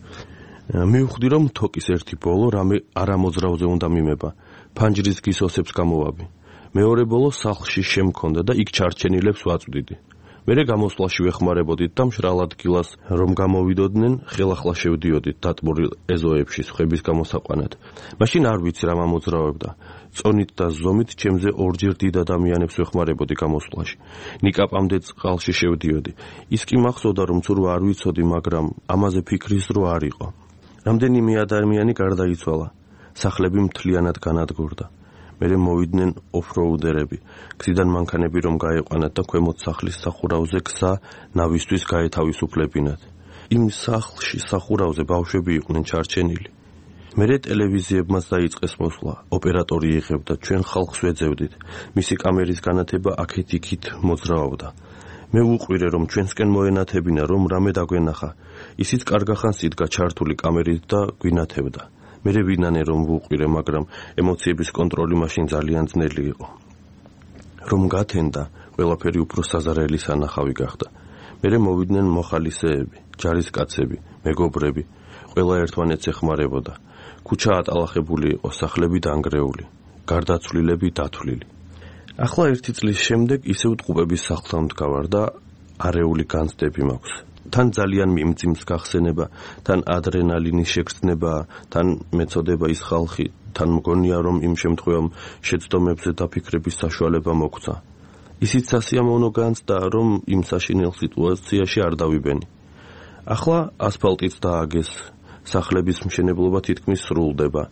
მივხვდი რომ თოკის ერთი ბოლო რამე არამოძრავზე უნდა მიმება. ფანჯრის გისოსებს გამოვაბი. მეორე ბოლო სახლში შემქონდა და იქ ჩარჩენილებს ვაწვდიდი. მერე გამოსვლაში ვეხმარებოდით და მშრალ ადგილას რომ გამოვიდოდნენ, ხელახლა შევდიოდით დატბორილ ეზოებში სხვების გამოსაყვანად. მაშინ არ ვიცი რა მომოძრავებდა. წონით და ზომით ჩემზე ორჯერ დიდ ადამიანებს ვეხმარებოდი გამოსვლაში. ნიკაპამდე წყალში შევდიოდი. ის კი მახსოვდა რომ ცურვა არ ვიცოდი, მაგრამ ამაზე ფიქრის დრო არ იყო. რამდენიმე ადამიანი გარდაიცვალა. სახლები მთლიანად განადგურდა. მერე მოვიდნენ ოფროუდერები. გზიდან მანქანები რომ გაეყვანათ და ქვემოთ სახლის სახურავზე გზა ნავისთვის გაეთავისუფლებინათ. იმ სახლში სახურავზე ბავშვები იყვნენ ჩარჩენილი. მერე ტელევიზიებმაც დაიწყეს მოსვლა. ოპერატორი იღებდა, ჩვენ ხალხს ვეძებდით. მისი კამერის განათება აქეთ-იქით მოძრაობდა. მე ვუყვირე რომ ჩვენსკენ მოენათებინა, რომ რამე დაგვენახა. ისიც კარგახანს იდგა ჩართული კამერით და გვინათებდა. მერე ვინანე რომ ვუყვირე, მაგრამ ემოციების კონტროლი მაშინ ძალიან ძნელი იყო. რომ გათენდა, ყველაფერი უფრო საზარელი სანახავი გახდა. მერე მოვიდნენ მოხალისეები, ჯარისკაცები, მეგობრები, ყველა ერთმანეთს ეხმარებოდა. ქუჩა ატალახებული იყო, სახლები დანგრეული, გარდაცვლილები დათვლილი. ახლა 1 წლის შემდეგ ისევ ტყუპების სახლთან ვდგავარ და არეული განცდები მაქვს. თან ძალიან მიმძიმს გახსენება, თან ადრენალინის შეგრძნება, თან მეწოდება ის ხალხი, თან მგონია რომ იმ შემთხვევამ შეცდომებზე დაფიქრების საშუალება მოგცა. ისიც სასიამოვნო განცდა, რომ იმ საშინელ სიტუაციაში არ დავიბენი. ახლა ასფალტიც დააგეს, სახლების მშენებლობა თითქმის სრულდება,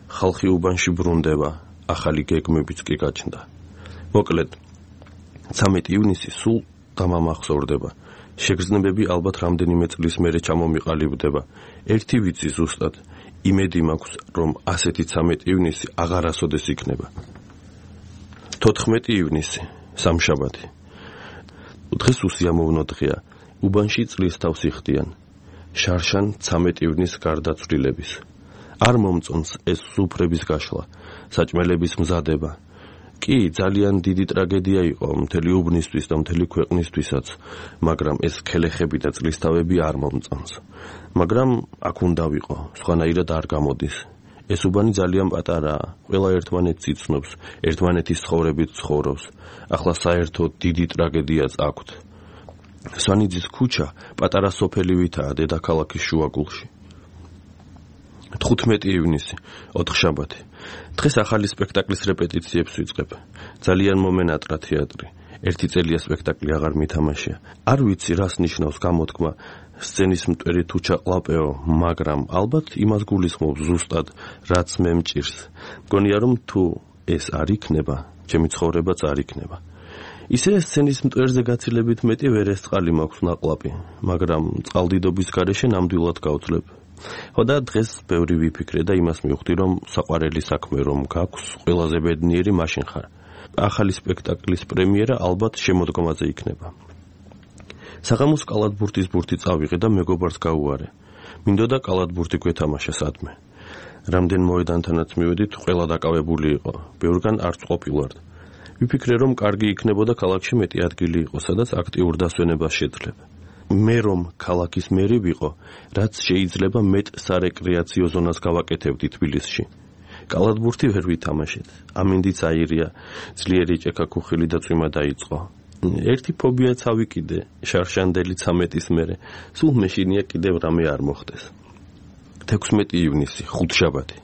ხალხი უბანში ბრუნდება, ახალი გეგმებიც კი გაჩნდა. მოკლედ, 13 ივნისი სულ დამამახსოვრდება. შეგრძნებები ალბათ რამდენიმე წლის მერე ჩამომიყალიბდება. ერთი ვიცი ზუსტად, იმედი მაქვს, რომ ასეთი 13 ივნისი აღარასოდეს იქნება. 14 ივნისი, სამშაბათი. დღეს უსიამოვნო დღეა. უბანში წლის თავს იხდიან. შარშან 13 ივნის გარდაცვლილების. არ მომწონს ეს სუფრების გაშლა, საჭმელების მზადება. კი, ძალიან დიდი ტრაგედია იყო მთელი უბნისთვის და მთელი ქვეყნისთვისაც, მაგრამ ეს ქელეხები და წლისთავები არ მომწონს. მაგრამ აქ უნდა ვიყო, სხვანაირად არ გამოდის. ეს უბანი ძალიან პატარაა, ყველა ერთმანეთს იცნობს, ერთმანეთის ცხოვრებით ცხოვრობს. ახლა საერთოდ დიდი ტრაგედიაც აქვთ. სვანიძის ქუჩა პატარა სოფელივითაა დედაქალაქის შუაგულში. 15 ივნისი, 4 შაბათი. დღეს ახალი სპექტაკლის რეპეტიციებს ვიწყებ. ძალიან მომენატრა თეატრი. ერთი წელია სპექტაკლი აღარ მითამაშია. არ ვიცი რას ნიშნავს გამოთქმა სცენის მტვერი თუ ჩაყლაპეო, მაგრამ ალბათ იმას გულისხმობს ზუსტად, რაც მე მჭირს. მგონია რომ თუ ეს არ იქნება, ჩემი ცხოვრებაც არ იქნება. ისე სცენის მტვერზე გაცილებით მეტი ვერესწყალი მაქვს ნაყლაპი, მაგრამ წყალდიდობის გარეშე ნამდვილად გავძლებ. ხო და დღეს ბევრი ვიფიქრე და იმას მივხვდი, რომ საყვარელი საქმე რომ გაქვს, ყველაზე ბედნიერი მაშინ ხარ. ახალი სპექტაკლის პრემიერა ალბათ შემოდგომაზე იქნება. საღამოს კალათბურთის ბურთი წავიღე და მეგობარს გაუარე. მინდოდა კალათბურთი გვეთამაშა სადმე. რამდენ მოედანთანაც მივედით, ყველა დაკავებული იყო. ბევრგან არც ყოფილვართ. ვიფიქრე, რომ კარგი იქნებოდა ქალაქში მეტი ადგილი იყო, სადაც აქტიურ დასვენებას შეძლებ. მე რომ ქალაქის მერი ვიყო, რაც შეიძლება მეტ სარეკრეაციო ზონას გავაკეთებდი თბილისში. კალათბურთი ვერ ვითამაშეთ. ამინდიც აირია, ძლიერი ჭექა ქუხილი და წვიმა დაიწყო. ერთი ფობიაც ავიკიდე, შარშანდელი 13-ის მერე. სულ მეშინია კიდევ რამე არ მოხდეს. 16 ივნისი, 5 შაბათი.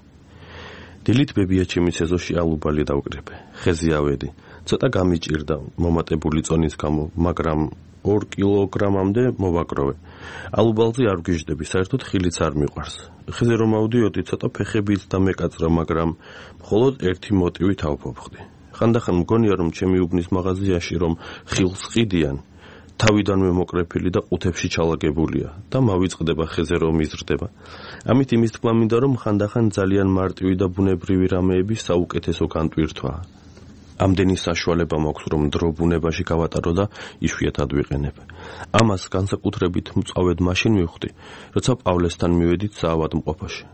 დილით ბებიაჩემის ეზოში ალუბალი დავკრებე. ხეზე ავედი. ცოტა გამიჭირდა მომატებული წონის გამო, მაგრამ 2 კილოგრამამდე მოვაკროვე. ალუბალზე არ ვგიჟდები, საერთოდ ხილიც არ მიყვარს. ხეზე რომ ავდიოდი, ცოტა ფეხებიც დამეკაწრა, მაგრამ მხოლოდ ერთი მოტივით ავფობხდი. ხანდახან მგონია, რომ ჩემი უბნის მაღაზიაში რომ ხილს ყიდიან, თავიდანვე მოკრეფილი და ყუთებში ჩალაგებულია და მავიწყდება ხეზე რომ იზრდება. ამით იმის თქმა მინდა, რომ ხანდახან ძალიან მარტივი და ბუნებრივი რამეების საუკეთესო განტვირთვაა. ამდენი საშუალება მაქვს, რომ დრო ბუნებაში გავატარო და იშვიათად ვიყენებ. ამას განსაკუთრებით მწვავედ მაშინ მივხვდი, როცა პავლესთან მივედით საავადმყოფოში.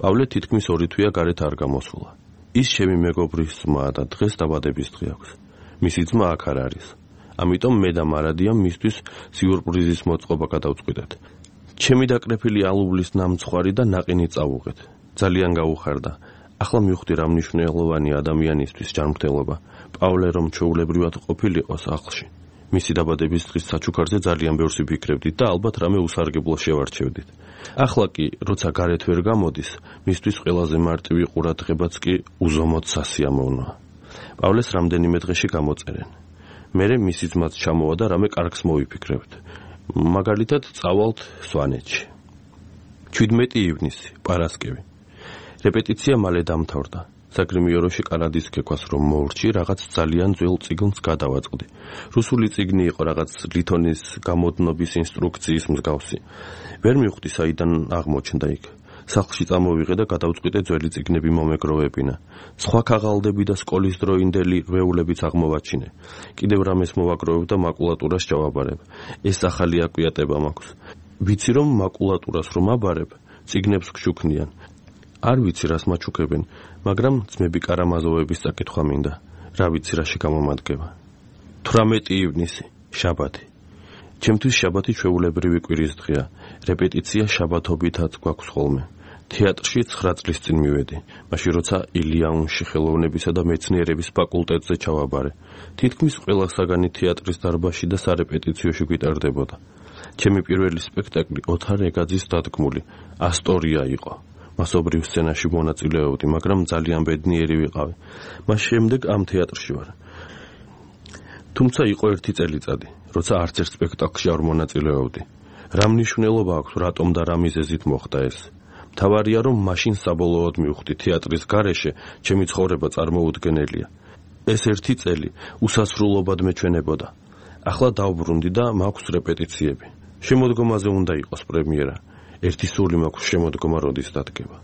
პავლე თითქმის 2 თვეა გარეთ არ გამოსულა. ის ჩემი მეგობრის ძმაა და დღეს დაბადების დღე აქვს. მისი ძმა აქ არ არის. ამიტომ მე და მარადიამ მისთვის სიურპრიზის მოწყობა გადავწყვიტეთ. ჩემი დაკრეფილი ალუბლის ნამცხვარი და ნაყინი წავუღეთ. ძალიან გაუხარდა. ახლა მივხვდი რა მნიშვნელოვანი ადამიანისთვის ჯანმრთელობა. პავლე რომ ჩვეულებრივად ყოფილიყო სახლში. მისი დაბადების დღის საჩუქარზე ძალიან ბევრს ვიფიქრებდით და ალბათ რამე უსარგებლო შევარჩევდით. ახლა კი, როცა გარეთ ვერ გამოდის, მისთვის ყველაზე მარტივი ყურადღებაც კი უზომოდ სასიამოვნოა. პავლეს რამდენიმე დღეში გამოწერენ. მერე მისი ძმაც ჩამოვა და რამე კარგს მოვიფიქრებთ. მაგალითად, წავალთ სვანეთში. 17 ივნისი, პარასკევი. რეპეტიცია მალე დამთავრდა. საგრიმიოროში კანადის კეკვას რომ მოურჩი, რაღაც ძალიან ძველ წიგნს გადავაწყდი. რუსული წიგნი იყო, რაღაც ლითონის გამოდნობის ინსტრუქციის მსგავსი. ვერ მივხვდი საიდან აღმოჩნდა იქ. სახლში წამოვიღე და გადავწყვიტე ძველი წიგნები მომეგროვებინა. სხვა ქაღალდები და სკოლის დროინდელი რვეულებიც აღმოვაჩინე. კიდევ რამეს მოვაგროვებ და მაკულატურას ჩავაბარებ. ეს ახალი აკვიატება მაქვს. ვიცი რომ მაკულატურას რომ აბარებ, წიგნებს გშუქნიან. არ ვიცი რას მაჩუქებენ, მაგრამ ძმები კარამაზოვების საკითხვა მინდა. რა ვიცი რაში გამომადგება. 18 ივნისი, შაბათი. ჩემთვის შაბათი ჩვეულებრივი კვირის დღეა. რეპეტიცია შაბათობითაც გვაქვს ხოლმე. თეატრში 9 წლის წინ მივედი, მაშინ როცა ილია-უნში ხელოვნებისა და მეცნიერების ფაკულტეტზე ჩავაბარე. თითქმის ყველა საგანი თეატრის დარბაზში და სარეპეტიციოში გვიტარდებოდა. ჩემი პირველი სპექტაკლი ოთარ ეგაძის დადგმული ასტორია იყო. მასობრივ სცენაში მონაწილეობდი, მაგრამ ძალიან ბედნიერი ვიყავი. მას შემდეგ ამ თეატრში ვარ. თუმცა იყო ერთი წელიწადი, როცა არც ერთ სპექტაკლში არ მონაწილეობდი. რა მნიშვნელობა აქვს, რატომ და რა მიზეზით მოხდა ეს? მთავარია, რომ მაშინ საბოლოოდ მივხვდი, თეატრის გარეშე ჩემი ცხოვრება წარმოუდგენელია. ეს ერთი წელი უსასრულობად მეჩვენებოდა. ახლა დავბრუნდი და მაქვს რეპეტიციები. შემოდგომაზე უნდა იყოს პრემიერა. ერთი სული მაქვს შემოდგომა როდის დადგება.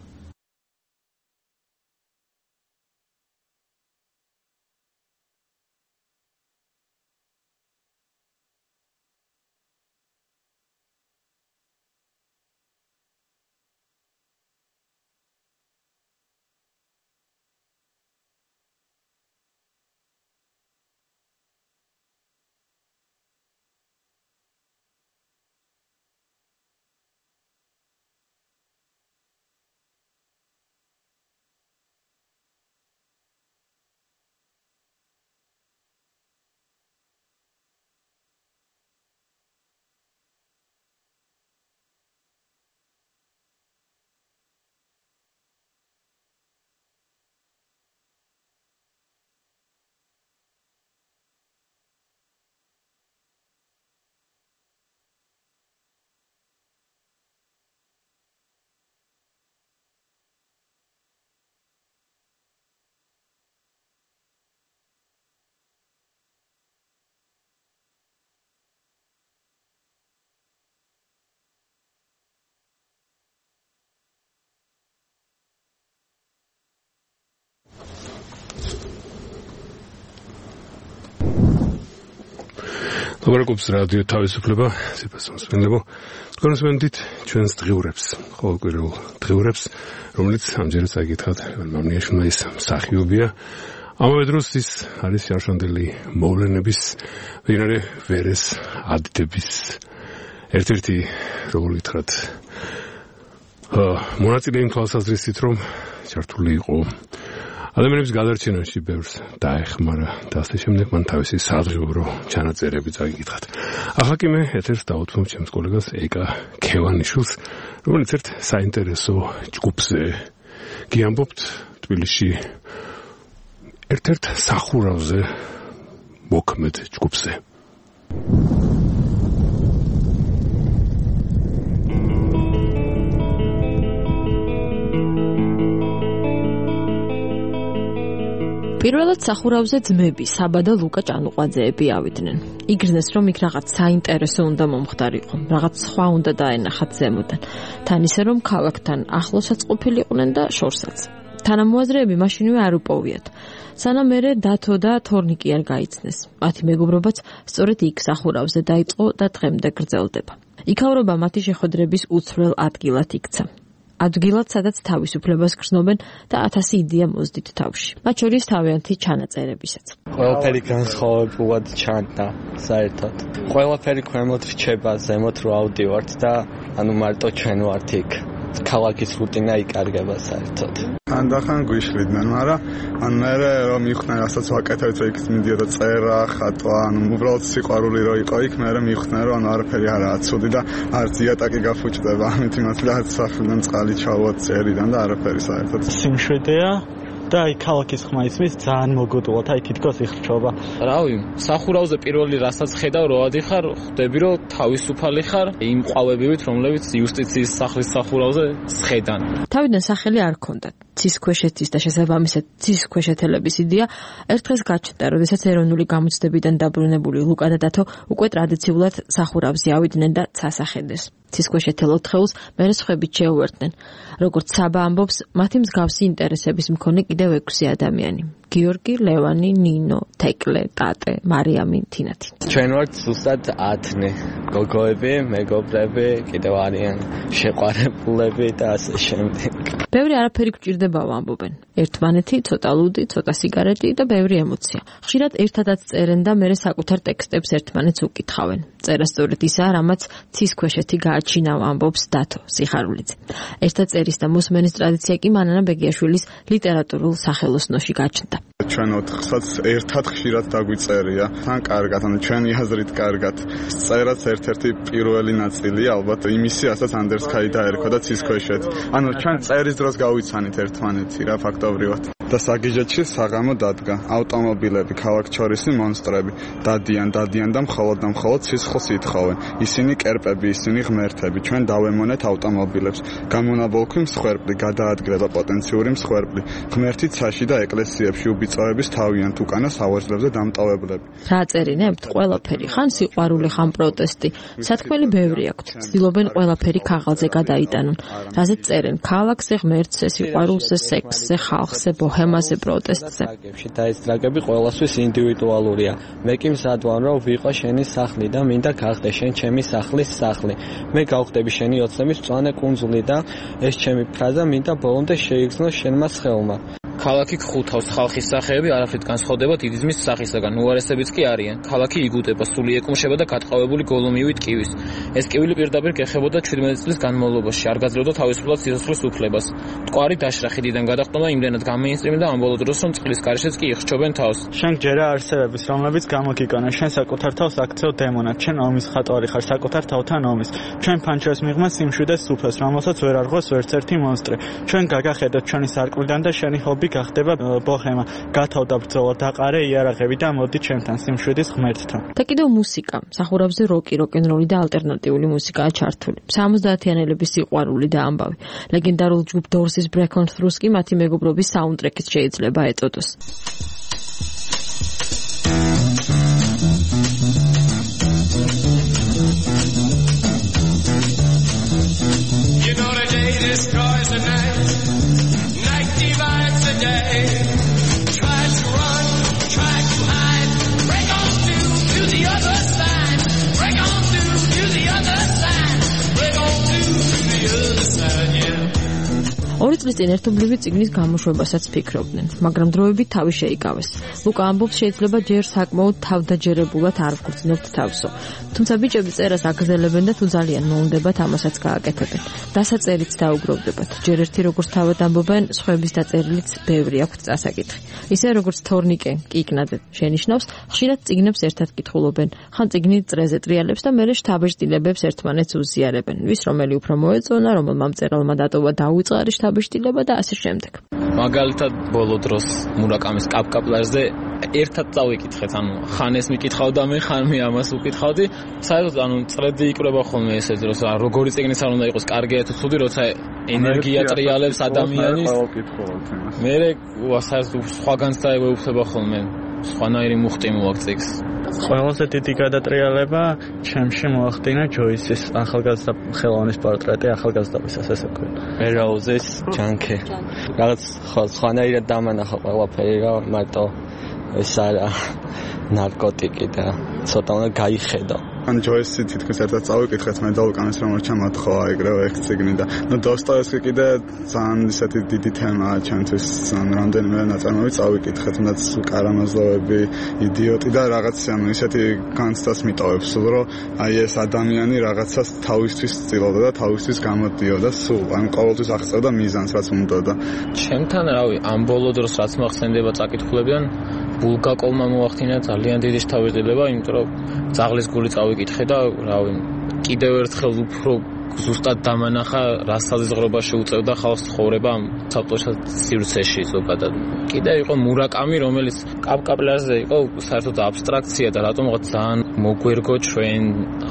ლაპარაკობს რადიო თავისუფლება, სიფას მოსმენლებო. კონსვენდით ჩვენს დღიურებს, ყოველკვირეულ დღიურებს, რომელიც ამჯერად წაიკითხათ მამნიაშვილმა ის მსახიობია. ამავე დროს ის არის შარშანდელი მოვლენების, ვინარე ვერეს ადიდების ერთ-ერთი, როგორ ვითხრათ, მონაწილე იმ თვალსაზრისით, რომ ჩართული იყო ადამიანების გადარჩენაში ბევრს დაეხმარა და ასე შემდეგ მან თავისი სადღიურო ჩანაწერები წაიკითხათ. ახლა კი მე ეთერს დავუთმობ ჩემს კოლეგას ეკა ქევანიშვილს, რომელიც ერთ საინტერესო ჯგუფზე გიამბობთ თბილისში ერთ-ერთ სახურავზე მოქმედ ჯგუფზე. პირველად სახურავზე ძმები საბა და ლუკა ჭანუყვაძეები ავიდნენ. იგრძნეს, რომ იქ რაღაც საინტერესო უნდა მომხდარიყო, რაღაც სხვა უნდა დაენახათ ზემოდან. თან ისე, რომ ქალაქთან ახლოსაც ყოფილიყვნენ და შორსაც. თანამოაზრეები მაშინვე არ უპოვიათ. სანამ მერე დათო და თორნიკი არ გაიცნეს. მათი მეგობრობაც სწორედ იქ სახურავზე დაიწყო და დღემდე გრძელდება. იქაურობა მათი შეხვედრების უცვლელ ადგილად იქცა. ადგილად, სადაც თავისუფლებას გრძნობენ და 1000 იდეა მოздით თავში. მათ შორის თავიანთი ჩანაწერებისაც. ყველაფერი განსხვავებულად ჩანდა საერთოდ. ყველაფერი ქვემოთ რჩება, ზემოთ რო ავდივართ და ანუ მარტო ჩვენ ვართ იქ. ქალაქის რუტინა იკარგება საერთოდ. ანდახან გვიშლიდნენ, მაგრამ ან მე რომ მიხდნენ, რასაც ვაკეთებთ, რომ იქ მიდიოდა წერა, ხატვა, ანუ უბრალოდ სიყვარული რო იყო იქ, მე მიხდნენ, რომ არაფერი არაა ცუდი და არც იატაკი გაფუჭდება, ამით იმას რაც სახლიდან წყალი ჩავუვათ წერიდან და არაფერი საერთოდ. სიმშვიდეა და აი ქალაქის ხმა ისმის ძალიან მოგოდულად, აი თითქოს იხრჩობა. რავი, სახურავზე პირველი რასაც ხედავ, რო ადიხარ, ხვდები რომ თავისუფალი ხარ იმ ყვავებივით, რომლებიც იუსტიციის სახლის სახურავზე სხედან. თავიდან სახელი არ ჰქონდათ. ცისქვეშეთის და შესაბამისად ცისქვეშეთელების იდეა ერთ დღეს გაჩნდა, როდესაც ეროვნული გამოცდებიდან დაბრუნებული ლუკა და დათო უკვე ტრადიციულად სახურავზე ავიდნენ და ცასახედეს. ცისქვეშეთელ ოთხეულს მერე სხვებით შეუერთდნენ. როგორც საბა ამბობს, მათი მსგავსი ინტერესების მქონე კიდევ 6 ადამიანი. გიორგი, ლევანი, ნინო, თეკლე, ტატე, მარიამი, თინათი. ჩვენ ვართ ზუსტად 10 გოგოები, მეგობრები, კიდევ არიან შეყვარებულები და ასე შემდეგ. ბევრი არაფერი გვჭირდებაო ამბობენ. ერთმანეთი, ცოტა ლუდი, ცოტა სიგარეტი და ბევრი ემოცია. ხშირად ერთადაც წერენ და მერე საკუთარ ტექსტებს ერთმანეთს უკითხავენ. წერა სწორედ ისაა, რამაც ცისქვეშეთი გააჩინა, ამბობს დათო სიხარულიძე. ერთად წერის და მოსმენის ტრადიცია კი მანანა ბეგიაშვილის ლიტერატურულ სახელოსნოში გაჩნდა. ჩვენ 4-საც ერთად ხშირად დაგვიწერია. თან კარგად, ანუ ჩვენი აზრით კარგად. წერაც ერთ-ერთი პირველი ნაწილია, ალბათ იმისი, რასაც ანდერსკაი დაერქვა და ცისქვეშეთ. ანუ ჩვენ წერის დროს გავიცანით ერთმანეთი რა ფაქტობრივად. და საგიჟეთში საღამო დადგა. ავტომობილები, ქალაქჩორისი მონსტრები დადიან და მხოლოდ სისხლს ითხოვენ. ისინი კერპები, ისინი ღმერთები. ჩვენ დავემონეთ ავტომობილებს. გამონაბოლქვი მსხვერპლი, გადაადგილება პოტენციური მსხვერპლი. ღმერთი ცაში და ეკლესიებში უბიწოების თავიანთ უკანა სავარძლებზე დამტოვებლები. რა წერინებთ? ყველაფერი, ხან სიყვარული, ხან პროტესტი. სათქმელი ბევრი აქვთ. ცდილობენ ყველაფერი ქაღალდზე გადაიტანონ. რაზეც წერენ? ქალაქზე, ღმერთზე, სიყვარულზე, სექსზე, ხალხზე, ბოჰემაზე, პროტესტზე. დაისტრაგები ყველასთვის ინდივიდუალურია. მე კი მზად ვარ, რომ ვიყო შენი სახლი და მინდა გახდე შენ ჩემი სახლის სახლი. მე გავხდები შენი ოცნების მწვანე კუნძული და ეს ჩემი ფრაზა მინდა ბოლომდე შეიგრძნო შენმა სხეულმა. ქალაქი გხუთავს, ხალხის სახეები არაფრით განსხვავდება დიდი ძმის სახისაგან, უარესებიც კი არიან. ქალაქი იგუტება, სული ეკუმშება და გატყავებული გოლომივით კივის. ეს კივილი პირდაპირ გეხებოდა 17 წლის განმავლობაში, არ გაძლევდა თავისუფლად სიცოცხლის უფლებას. მტკვარი დაშრა ხიდიდან გადახტომა იმდენად გამეინსტრიმდა ამ ბოლო დროს, რომ წყლის გარეშეც კი იხჩობენ თავს. შენ ჯერა არსებების, რომლებიც გამოგიგონა, შენ საკუთარ თავს აქცევ დემონად, შენ ომის ხატვარი ხარ, საკუთარ თავთან ომის. ჩვენ ფანჩერს მიღმა სიმშვიდეს სუფას, რომელსაც ვერ არღოს ვერცერთი მონსტრი. ჩვენ გაგახედოთ ჩვენი სარკმლიდან და შენი ჰობი გახდება ბოჰემა. გათავდა ბრძოლა, დაყარე იარაღები და მოდი ჩვენთან სიმშვიდის ღმერთთან. და კიდევ მუსიკა. სახურავზე როკი, როკ-ენ-როლი და ალტერნატიული მუსიკაა ჩართული. 70-იანელების სიყვარული და ამბავი. ლეგენდარულ ჯგუფ Doors-ის Break On Through-ს კი მათი მეგობრობის საუნდტრეკიც შეიძლება ეწოდოს. You know the day destroys the night. Night divides the day. Try to run, try to hide. Break on through to the other side. წლის წინ ერთობლივი წიგნის გამოშვებასაც ფიქრობდნენ, მაგრამ დროებით თავი შეიკავეს. ლუკა ამბობს, შეიძლება ჯერ საკმაოდ თავდაჯერებულად არ ვგრძნობთ თავსო. თუმცა ბიჭები წერას აგრძელებენ და თუ ძალიან მოუნდებათ, ამასაც გააკეთებენ. დასაწერიც დაუგროვდებათ. ჯერ ერთი როგორც თავად ამბობენ, სხვების დაწერილიც ბევრი აქვთ წასაკითხი. ისე როგორც თორნიკე კიკნაძე შენიშნავს, ხშირად წიგნებს ერთად კითხულობენ. ხან წიგნი წრეზე ტრიალებს და მერე შთაბეჭდილებებს ერთმანეთს უზიარებენ. ვის რომელი უფრო მოეწონა, რომელმა მწერალმა დატოვა დაუწყარი შთაბეჭდილება და ასე შემდეგ. მაგალითად, ბოლო დროს მურაკამის კაპკაპლარზე ერთად წავიკითხეთ, ხან ეს მიკითხავდა მე, ხან მე ამას ვკითხავდი. საერთოდ, წრედი იკვრება ხოლმე ესე დროს, როგორი წიგნიც არ უნდა იყოს, კარგია თუ ცუდი, როცა ენერგია ტრიალებს ადამიანის. მერე საერთოდ სხვაგანც დაეუფლება ხოლმე. სხვანაირი მუხტი მოაქვს წიგნს. ყველაზე დიდი გადატრიალება ჩემში მოახდინა ჯოისის ახალგაზრდა ხელოვნის პორტრეტი ახალგაზრდობისას, ესე ვქვი. მერაუზის ჯანკი. რაღაც სხვანაირად დამანახა ყველაფერი, რა მარტო ეს არა ნარკოტიკი და ცოტა უნდა გაიხედო. ან ჯოისი თითქოს ერთად წავიკითხეთ მე და უკანეს რომ ჩამოთხოვა ეგრევე ერთ წიგნი და დოსტოევსკი კიდე ძალიან ისეთი დიდი თემაა ჩვენთვის რამდენიმე ნაწარმოები წავიკითხეთ თუნდაც კარამაზოვები იდიოტი და რაღაც ისეთი განცდას მიტოვებს სულ რომ აი ეს ადამიანი რაღაცას თავისთვის ცდილობდა და თავისთვის გამოდიოდა სულ ან ყოველთვის აღწევდა მიზანს რაც უნდოდა ჩემთან რავი ამ ბოლო დროს რაც მახსენდება წაკითხულებიდან ბულგაკოვმა მოახდინა ძალიან დიდი შთაბეჭდილება იმიტომ რომ ძაღლის გული წავიკითხე და რავი კიდევ ერთხელ უფრო ზუსტად დამანახა რა საზღვრებაში უწევდა ხალხს ცხოვრება საბჭოთა სივრცეში ზოგადად კიდე იყო მურაკამი რომელიც კაპკაპლარზე იყო საერთოდ აბსტრაქცია და რატომღაც ძალიან მოგვერგო ჩვენ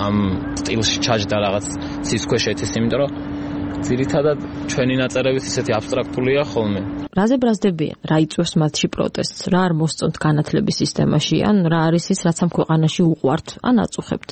ამ სტილში ჩაჯდა რაღაც სისქვეშეთის იმიტომ რომ ძირითადად ჩვენი ნაწერებით ისეთი აბსტრაქტულია ხოლმე რაზე ბრაზდებიან, რა იწვევს მათში პროტესტს, რა არ მოსწონთ განათლების სისტემაში, ან რა არის ის, რაც ამ ქვეყანაში უყვართ, ან აწუხებთ.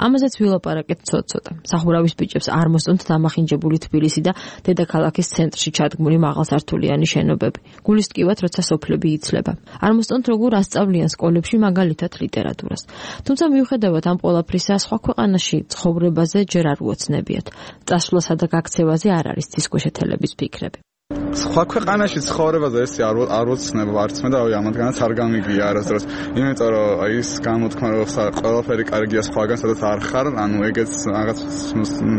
ამაზეც ვილაპარაკეთ ცოტ-ცოტა. სახურავის ბიჭებს არ მოსწონთ დამახინჯებული თბილისი და დედაქალაქის ცენტრში ჩადგმული მაღალსართულიანი შენობები. გულის ტკივათ, როცა სოფლები იცლება. არ მოსწონთ როგორ ასწავლიან სკოლებში მაგალითად ლიტერატურას. თუმცა მიუხედავად ამ ყველაფრისა, სხვა ქვეყანაში ცხოვრებაზე ჯერ არ უოცნებიათ. წასვლასა და გაქცევაზე არ არის ცისქვეშეთელების ფიქრები. სხვა ქვეყანაში ცხოვრებაზე ესე არ ვოცნებ არც მე და ამათგანაც არ გამიგია არასდროს იმიტომ რომ აი ის გამოთქმა რომ ყველაფერი კარგია სხვაგან სადაც არ ხარ ანუ ეგეც რაღაც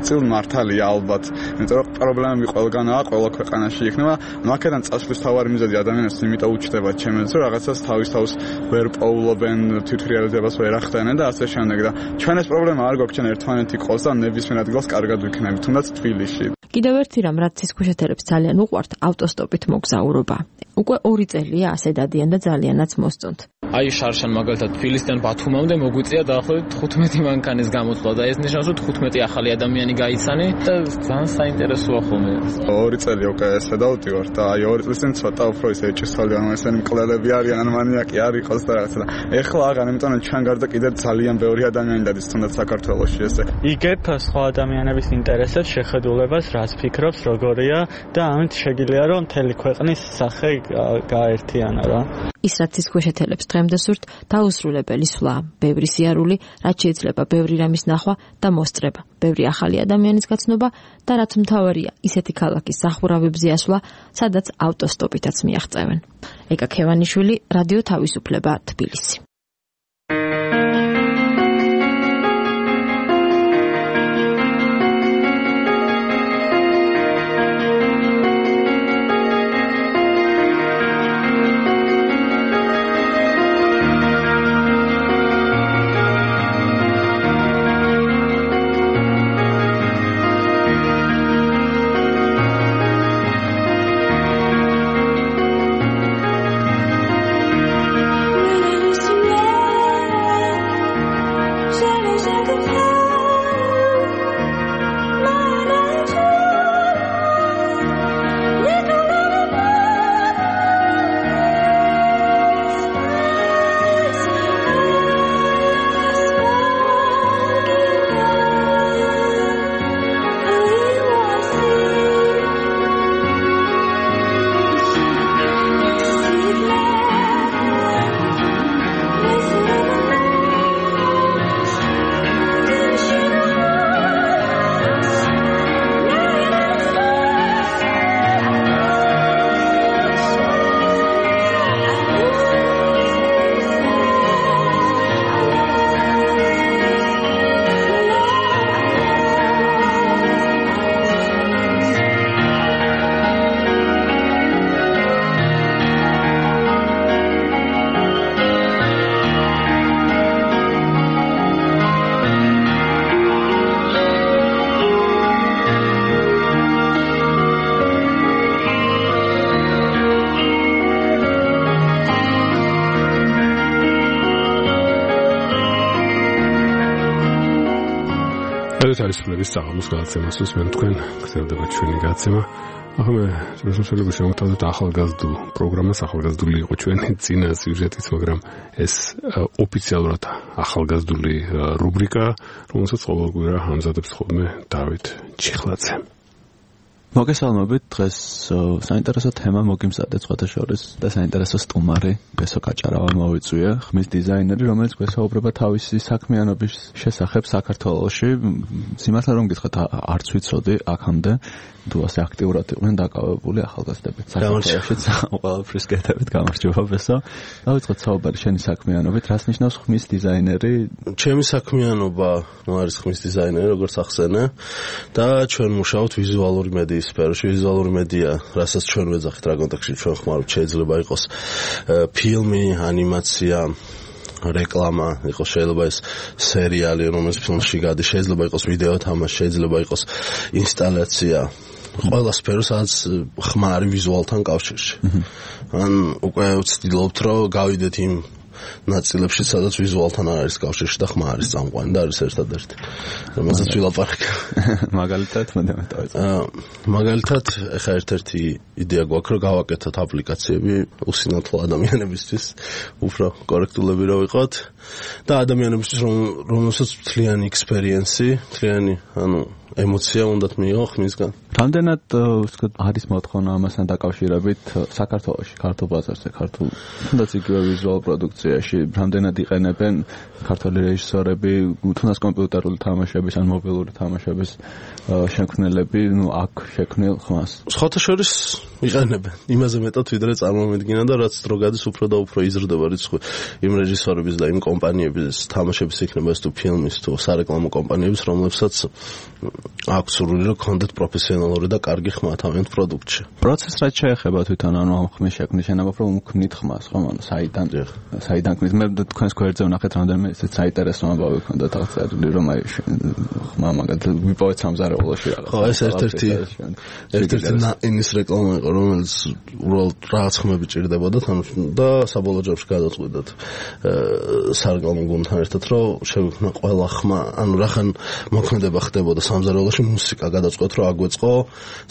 წილ მართალია ალბათ იმიტომ რომ პრობლემები ყველგანაა ყველა ქვეყანაში იქნება მაგედან წასვლის თავარი მიზეზი ადამიანებს იმიტომ უჩნდება ჩემს რომ რაღაცას თავის თავს ვერ პოულობენ თვითრეალიზებას ვერ ახდენენ და ასე შემდეგ და ჩვენ ეს პრობლემა არ გვაქვს ჩვენ ერთმანეთი ყავს და ნებისმიერ ადგილას კარგად ვიქნებით თუნდაც თბილისში კიდევ ერთი რამ რაც ცისქვეშეთელებს ძალიან უყვართ ავტოსტოპით მოგზაურობა. უკვე 2 წელია ასე დადიან და ძალიანაც მოსწონთ. აი შარშან მაგალითად თბილისიდან ბათუმამდე მოგვიწია დაახლოებით 15 მანქანის გამოსვლა და ეს ნიშნავს რომ 15 ახალი ადამიანი გაიცანი და ძალიან საინტერესოა ხოლმე. 2 წელი უკვე ესე დავდივარ და აი 2 წლის წინ ცოტა უფრო ისე ეჭვსავდი ანუ ესენი მკვლელები არიან ან მანიაკი არ იყოს და რაღაცა და ეხლა აღარ იმიტომ რომ ჩვენ გარდა კიდევ ძალიან ბევრი ადამიანი დადის თუნდაც საქართველოში ესე. იგებ სხვა ადამიანების ინტერესებს შეხედულებას რას ფიქრობს როგორია და ამით შეგიძლია რომ მთელი ქვეყნის სახე გაერთიანა რა. ის რაც ცისქვეშეთელებს დღემდე სურთ დაუსრულებელი სვლა, ბევრი სიარული, რაც შეიძლება ბევრი რამის ნახვა და მოსწრება, ბევრი ახალი ადამიანის გაცნობა და რაც მთავარია, ისეთი ქალაქის სახურავებზე ასვლა, სადაც ავტოსტოპითაც მიაღწევენ. ეკა ქევანიშვილი, რადიო თავისუფლება, თბილისი. Listen ძალისხმელების საღამოს გადაცემას უსმენთ თქვენ, გრძელდება ჩვენი გადაცემა. ახლა მე შემოსვლები შევთავაზოთ ახალგაზრდულ პროგრამას, ახალგაზრდული იყო ჩვენი წინა სიუჟეტიც, მაგრამ ეს ოფიციალურად ახალგაზრდული რუბრიკა, რომელსაც ყოველგვარ ამზადებს ხოლმე დავით ჩიხლაძე. მოგესალმებით, დღეს საინტერესო თემა მოგიმზადეთ სხვათა შორის და საინტერესო სტუმარი გესო კაჭარავა მოვიწვია, ხმის დიზაინერი, რომელიც გვესაუბრება თავისი საქმიანობის შესახებ საქართველოში. სიმართლე რომ გითხრათ, არც ვიცოდი აქამდე თუ ასე აქტიურად იყვნენ დაკავებული ახალგაზრდები. საქართველოშიც ყველაფრის კეთებით გამარჯობა ბესო. დავიწყოთ საუბარი შენი საქმიანობით, რას ნიშნავს ხმის დიზაინერი? ჩემი საქმიანობა არის ხმის დიზაინერი, როგორც ახსენე და ჩვენ მუშაობთ ვიზუალური მედიის სფეროში. ვიზუალური მედია, რასაც ჩვენ ვეძახით რა კონტექსტში ჩვენ ხმარობთ, შეიძლება იყოს ფილმი, ანიმაცია, რეკლამა, იყოს შეიძლება ეს სერიალი, რომელიც ფილმში გადის, შეიძლება იყოს ვიდეო თამაში, შეიძლება იყოს ინსტალაცია. ყველა სფერო, სადაც ხმა არის ვიზუალთან კავშირში. ან უკვე ვცდილობთ, რომ გავიდეთ იმ ნაწილებში, სადაც ვიზუალთან არ არის კავშირში და ხმა არის წამყვანი და არის ერთადერთი. რომელსაც ვილაპარაკ. მაგალითად, მაგალითად, ეხა ერთ-ერთი იდეა გვაქვს, რომ გავაკეთოთ აპლიკაციები უსინათლო ადამიანებისთვის, უფრო კორექტულები რომ ვიყოთ და ადამიანებისთვის, რომელსაც მთლიანი ექსპერიენსი, მთლიანი, ემოცია უნდათ მიიღო ხმისგან. რამდენად არის მოთხოვნა ამასთან დაკავშირებით საქართველოში, ქართულ ბაზარზე, ქართულ თუნდაც იგივე ვიზუალ პროდუქციაში, რამდენად იყენებენ ქართული რეჟისორები, თუნდაც კომპიუტერული თამაშების ან მობილური თამაშების შექმნელები, აქ შექმნილ ხმას? სხვათა შორის იყენებენ. იმაზე მეტად ვიდრე წარმომედგინა და რაც დრო გადის, უფრო და უფრო იზრდება რიცხვი იმ რეჟისორების და იმ კომპანიების თამაშების იქნება ეს თუ ფილმის თუ სარეკლამო კომპანიების, რომლებსაც აქვს სურვილი რომ კონდეთ პროფესიონალური და კარგი ხმა თავიანთ პროდუქტში. პროცესს რაც შეეხება თვითონ ამ ხმის შექმნის შენობა, რომ უქმნით ხმას, ხო, საიდან ქმნით? მე თქვენს გვერდზე ვნახეთ რამდენიმე ისეთ საინტერესო ამბავი ქონდა აღწერილი, რომ აი ხმა მაგალითად ვიპოვეთ სამზარეულოში რაღაც. ხო, ეს ერთ-ერთი ნაინის რეკლამა იყო, რომელიც უბრალოდ რაღაც ხმები ჭირდებოდა და საბოლოო ჯამში გადაწყვეტეთ სარეკლამო გუნდთან ერთად, რომ შევიქმნა ყველა ხმა, ანუ რახან მოქმედება ხდებოდა სამზარეულოში, მუსიკა გადაწყვეტ, რომ აგვეწყო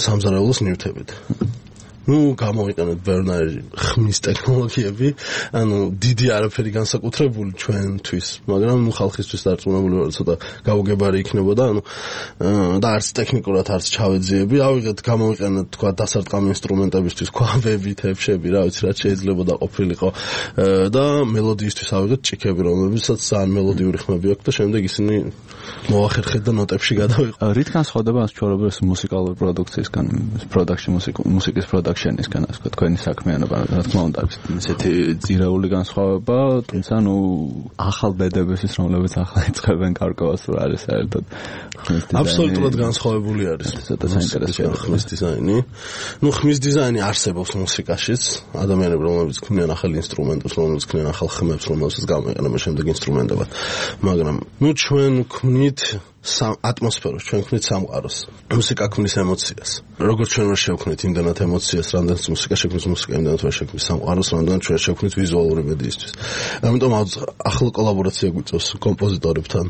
სამზარეულოს ნივთებით. გამოვიყენეთ ბერნარი ხმის ტექნოლოგიები, დიდი არაფერი განსაკუთრებული ჩვენთვის, მაგრამ ხალხისთვის დარწმუნებული ვარ, ცოტა გაუგებარი იქნებოდა, და არც ტექნიკურად არც ჩავეძიები, გამოვიყენეთ თქვა დასარტყამი ინსტრუმენტებისთვის, ქვაბები, თეფშები, რა ვიცი, რაც შეიძლება და ყოფილიყო და მელოდიისთვის ავიღეთ ჭიქები, რომლებსაც ძალიან მელოდიური ხმები აქვს და შემდეგ ისინი მოახერხეთ და ნოტებში გადავიყო. რით განსხვავდება ჩვეულებრივ მუსიკალური პროდუქციისგან, მუსიკის პროდაქშენისგან, ასე ვთქვათ, თქვენი საქმიანობა, რა თქმა უნდა, ისეთი ძირეული განსხვავება, თუმცა ახალ ბედებისთვის, რომლებიც ახლა იწყებენ კარგავს, რა არის საერთოდ ხმის დიზაინი. აბსოლუტურად განსხვავებული არის. ცოტა საინტერესოა ხმის დიზაინი. ხმის დიზაინი არსებობს მუსიკაშიც, ადამიანები, რომლებიც ქმნიან ახალ ინსტრუმენტებს, რომლებიც ქმნიან ახალ ხმებს, რომელსაც გამოიყენებენ შემდეგ ინსტრუმენტებად. მაგრამ ჩვენ ქმნით ატმოსფეროს, ჩვენ ქმნით სამყაროს. მუსიკა ქმნის ემოციას. როგორც ჩვენ ვერ შევქმნით იმდანად ემოციას, რამდენიც მუსიკა შექმნის მუსიკა, იმდანაც ვერ შექმნის სამყაროს, რამდენიც ჩვენ შევქმნით ვიზუალური მედიისთვის. ამიტომ ახლა კოლაბორაცია გვიწევს კომპოზიტორებთან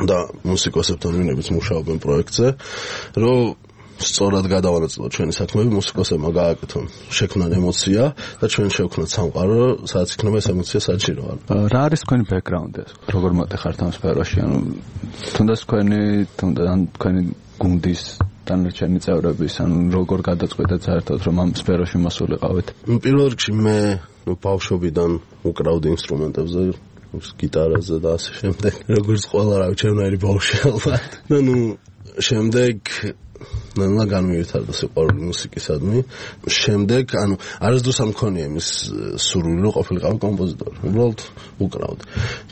და მუსიკოსებთან, ვინებიც მუშაობენ პროექტზე, რომ სწორად გადავანაწილოთ ჩვენი საქმეები, მუსიკოსებმა გააკეთონ, შექმნან ემოცია და ჩვენ შევქმნათ სამყარო, სადაც იქნება ეს ემოცია საჭირო. რა არის თქვენი ბექგრაუნდი? როგორ მოტეხართ ამ სფეროში? თუნდაც თქვენი გუნდის დანარჩენი წევრების, როგორ გადაწყვეტეთ საერთოდ, რომ ამ სფეროში მოსულიყავით? პირველ რიგში მე ბავშვობიდან უკრავდი ინსტრუმენტებზე, გიტარაზე და ასე შემდეგ. როგორც ყველა რა ვიცი, ჩემნაირი ბავშვი ალბათ. და შემდეგ ნანა განმივეთარდა სიყვარული მუსიკისადმი. შემდეგ, არასდროს არ მქონია იმის სურვილი, რომ ყოფილიყავი კომპოზიტორი. უბრალოდ უკრავდი.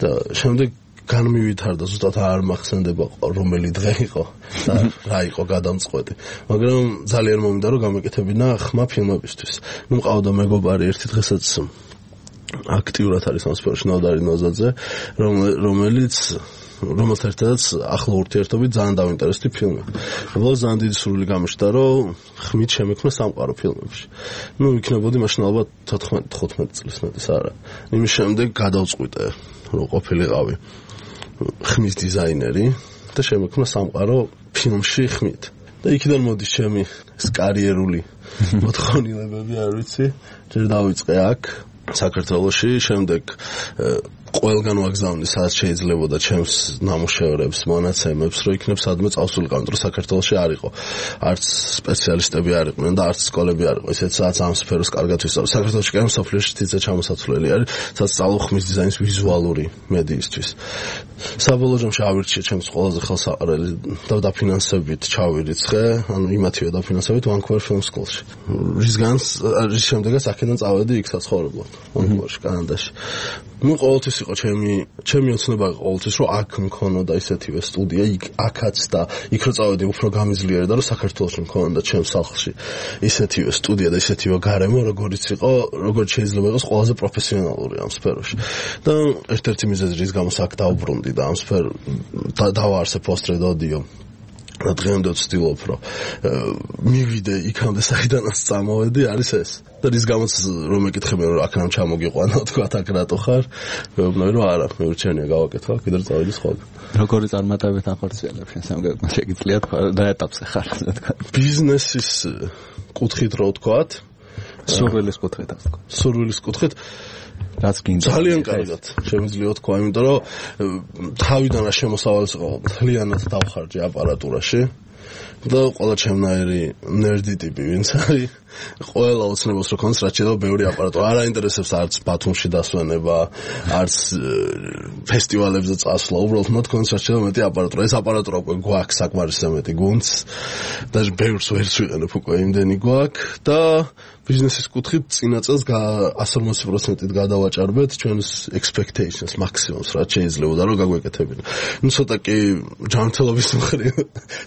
და შემდეგ განმივეთარდა, ზუსტად არ მახსენდება რომელი დღე იყო და რა იყო გადამწყვეტი. მაგრამ ძალიან მომიდა, რომ გამეკეთებინა ხმა ფილმებისთვის. მყავდა მეგობარი ერთი დღესაც აქტიურად არის ამ სფეროში, ნოდარი ნოზაძე, რომელთან ერთადაც ახლა ურთიერთობით ძალიან დავინტერესდი ფილმი. უბრალოდ ძალიან დიდი სურვილი გამიშთა, რომ ხმით შემექმნა სამყარო ფილმებში. იქნებოდი მაშინ ალბათ 14-15 წლის მეტის არა. იმის შემდეგ გადავწყვიტე, რომ ყოფილიყავი ხმის დიზაინერი, და შემექმნა სამყარო ფილმში ხმით. და იქიდან მოდის ჩემი კარიერული მოთხოვნილებები, არ ვიცი. ჯერ დავიწყე აქ საქართველოში, შემდეგ ყველგან ვაგზავნე, სადაც შეიძლებოდა ჩემს ნამუშევრებს, მონაცემებს, რომ იქნებ სადმე წავსულიყავ, რომ საქართველოში არ იყო. არც სპეციალისტები არ იყვნენ და არც სკოლები არ იყო. ისეთ სადაც ამ სფეროს კარგად ვისწავლე. საქართველოში კი მსოფლიოში თითზე ჩამოსაცვლელი არის, სადაც სწავლობ ხმის დიზაინის ვიზუალური მედიისთვის. საბოლოო ჯამში ავირჩიე ჩემს ყველაზე ხელსაყრელი და დაფინანსებით ჩავირიცხე, ანუ იმათივე დაფინანსებით Vancouver Film School-ში. რის შემდეგაც აქედან წავედი იქ საცხოვრებლად, Vancouver-ში, კანადაში. ნუ ყოველთვის იყო ჩემი ოცნება იყო ყოველთვის, რომ აქ მქონოდა ისეთივე სტუდია, აქაც და იქ რო წავედი უფრო გამიზლიერდა, რომ საქართველოში მქონოდა ჩემს სახლში ისეთივე სტუდია და ისეთივე გარემო, როგორც შეიძლება იყოს ყველაზე პროფესიონალური ამ სფეროში. და ერთ-ერთი მიზეზი, რის გამოც აქ დავბრუნდი და ამ დავაარსე Post-Red Audio. და დღემდე ვცდილობ, რომ მივიდე იქამდე, საიდანაც წამოვედი, არის ეს. და რის გამოც რომ მეკითხებიან, რომ აქ რამ ჩამოგიყვანა, თქვა აქ რატო ხარ? მეუბნები, რომ არა, მეურჩენია გავაკეთო, კიდევ წავედი სხვაგან. როგორი წარმატებით ახორციელებ შენ სამგებლო, შეგიძლია თქვა და ეტაპზე ხარ, ასე თქვა. ბიზნესის კუთხით რო ვთქვათ, სურვილის კუთხით ვთქვა. სურვილის კუთხით რაც გინდა. ძალიან კარგად შემიძლია თქვა, იმიტომ რომ თავიდან რა შემოსავალს იყო, მთლიანად დავხარჯე აპარატურაში. და ყველა ჩემნაირი ნერდი ტიპი ვინც არის, ყველა ოცნებას რო კონს რაც შეიძლება ბევრი აპარატურა. არ აინტერესებს არც ბათუმში დასვენება, არც ფესტივალებზე წასვლა, უბრალოდ მათ კონს რაც შეიძლება მეტი აპარატურა. ეს აპარატურა უკვე გვაქვს საკმარისზე მეტი გუნდს და ბევრს ვერც ვიყენებ უკვე იმდენი გვაქვს და ბიზნესის კუთხით წინა წელს 180%-ით გადავაჭარბეთ ჩვენს expectations მაქსიმუმს რაც შეიძლებოდა რომ გაგვეკეთებინა. ნუ ცოტა კი ჯანმრთელობის მხრივ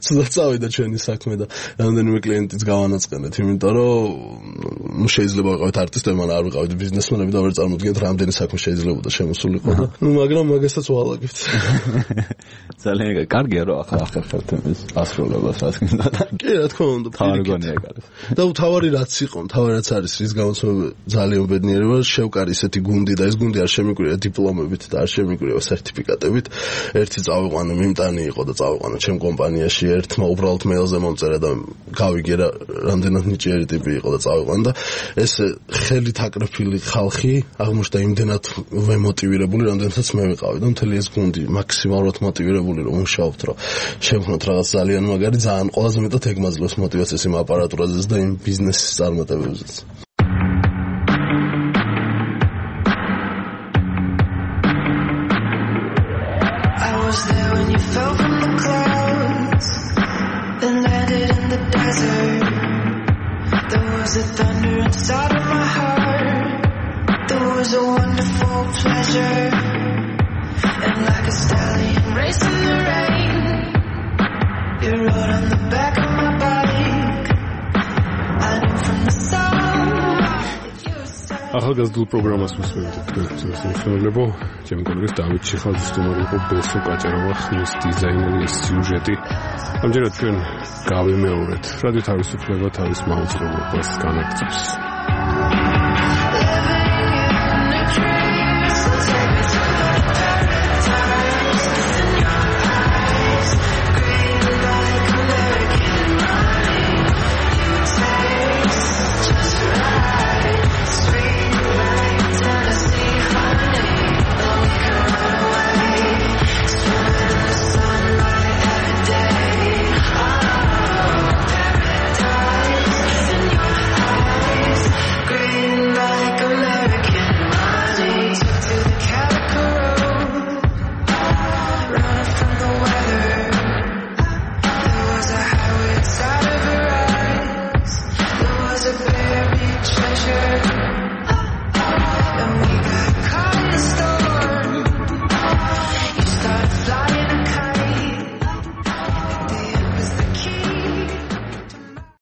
ცოტა წავიდა ჩვენი საქმე და რამდენიმე კლიენტიც გავანაწყენეთ, იმიტომ რომ ნუ შეიძლება ვიყავით არტისტები, მაგრამ არ ვიყავით ბიზნესმენები და ვერ წარმოვიდგენთ რამდენი საქმე შეიძლებოდა შემოსულიყო და ნუ მაგრამ მაგასაც ვალაგებთ. ძალიან კარგია რომ ახერხებთ ეს ასრულებას რაც გინდა. კი, რა თქმა უნდა. თავარგონია ეგ. და თავარი რაც იყო, რაც არის, რის გამოც ძალიან ბედნიერი ვარ, შევკარი ისეთი გუნდი და ეს გუნდი არ შემიგვირია დიპლომებით და არ შემიგვირია სერტიფიკატებით. ერთი წავიყვანე მიმტანი იყო და წავიყვანე ჩემ კომპანიაში, ერთმა უბრალოდ მეილზე მომწერა და გავიგე რა რამდენად ნიჭიერი ტიპი იყო და წავიყვანე და ეს ხელით აკრეფილი ხალხი აღმოჩნდა იმდენად ვემოტივირებული, რამდენადაც მე ვიყავი და მთელი ეს გუნდი მაქსიმალურად მოტივირებული რომ მუშაობთ, რომ შევქმნათ რაღაც ძალიან მაგარი, ძალიან ყველაზე მეტად ეგ მაძლევს მოტივაციას იმ აპარატურაზე და იმ ბიზნესის წარმატებებზე. I was there when you fell from the clouds and landed in the desert. There was a thunder inside of my heart. There was a wonderful pleasure. And like a stallion racing the rain, you rode on the back of my bike. I knew from the start. ახალგაზრდულ პროგრამას მისმენთ თქვენს მსმენელებო, ჩემი კოლეგის დავით ჩიხაძის სტუმარი იყო ბესო კაჭარავა, ხმის დიზაინერი, სიუჟეტი. ამჯერად ჩვენ გავიმეორეთ რადიო თავისუფლება თავის მაუწყებლობას განაგრძობს.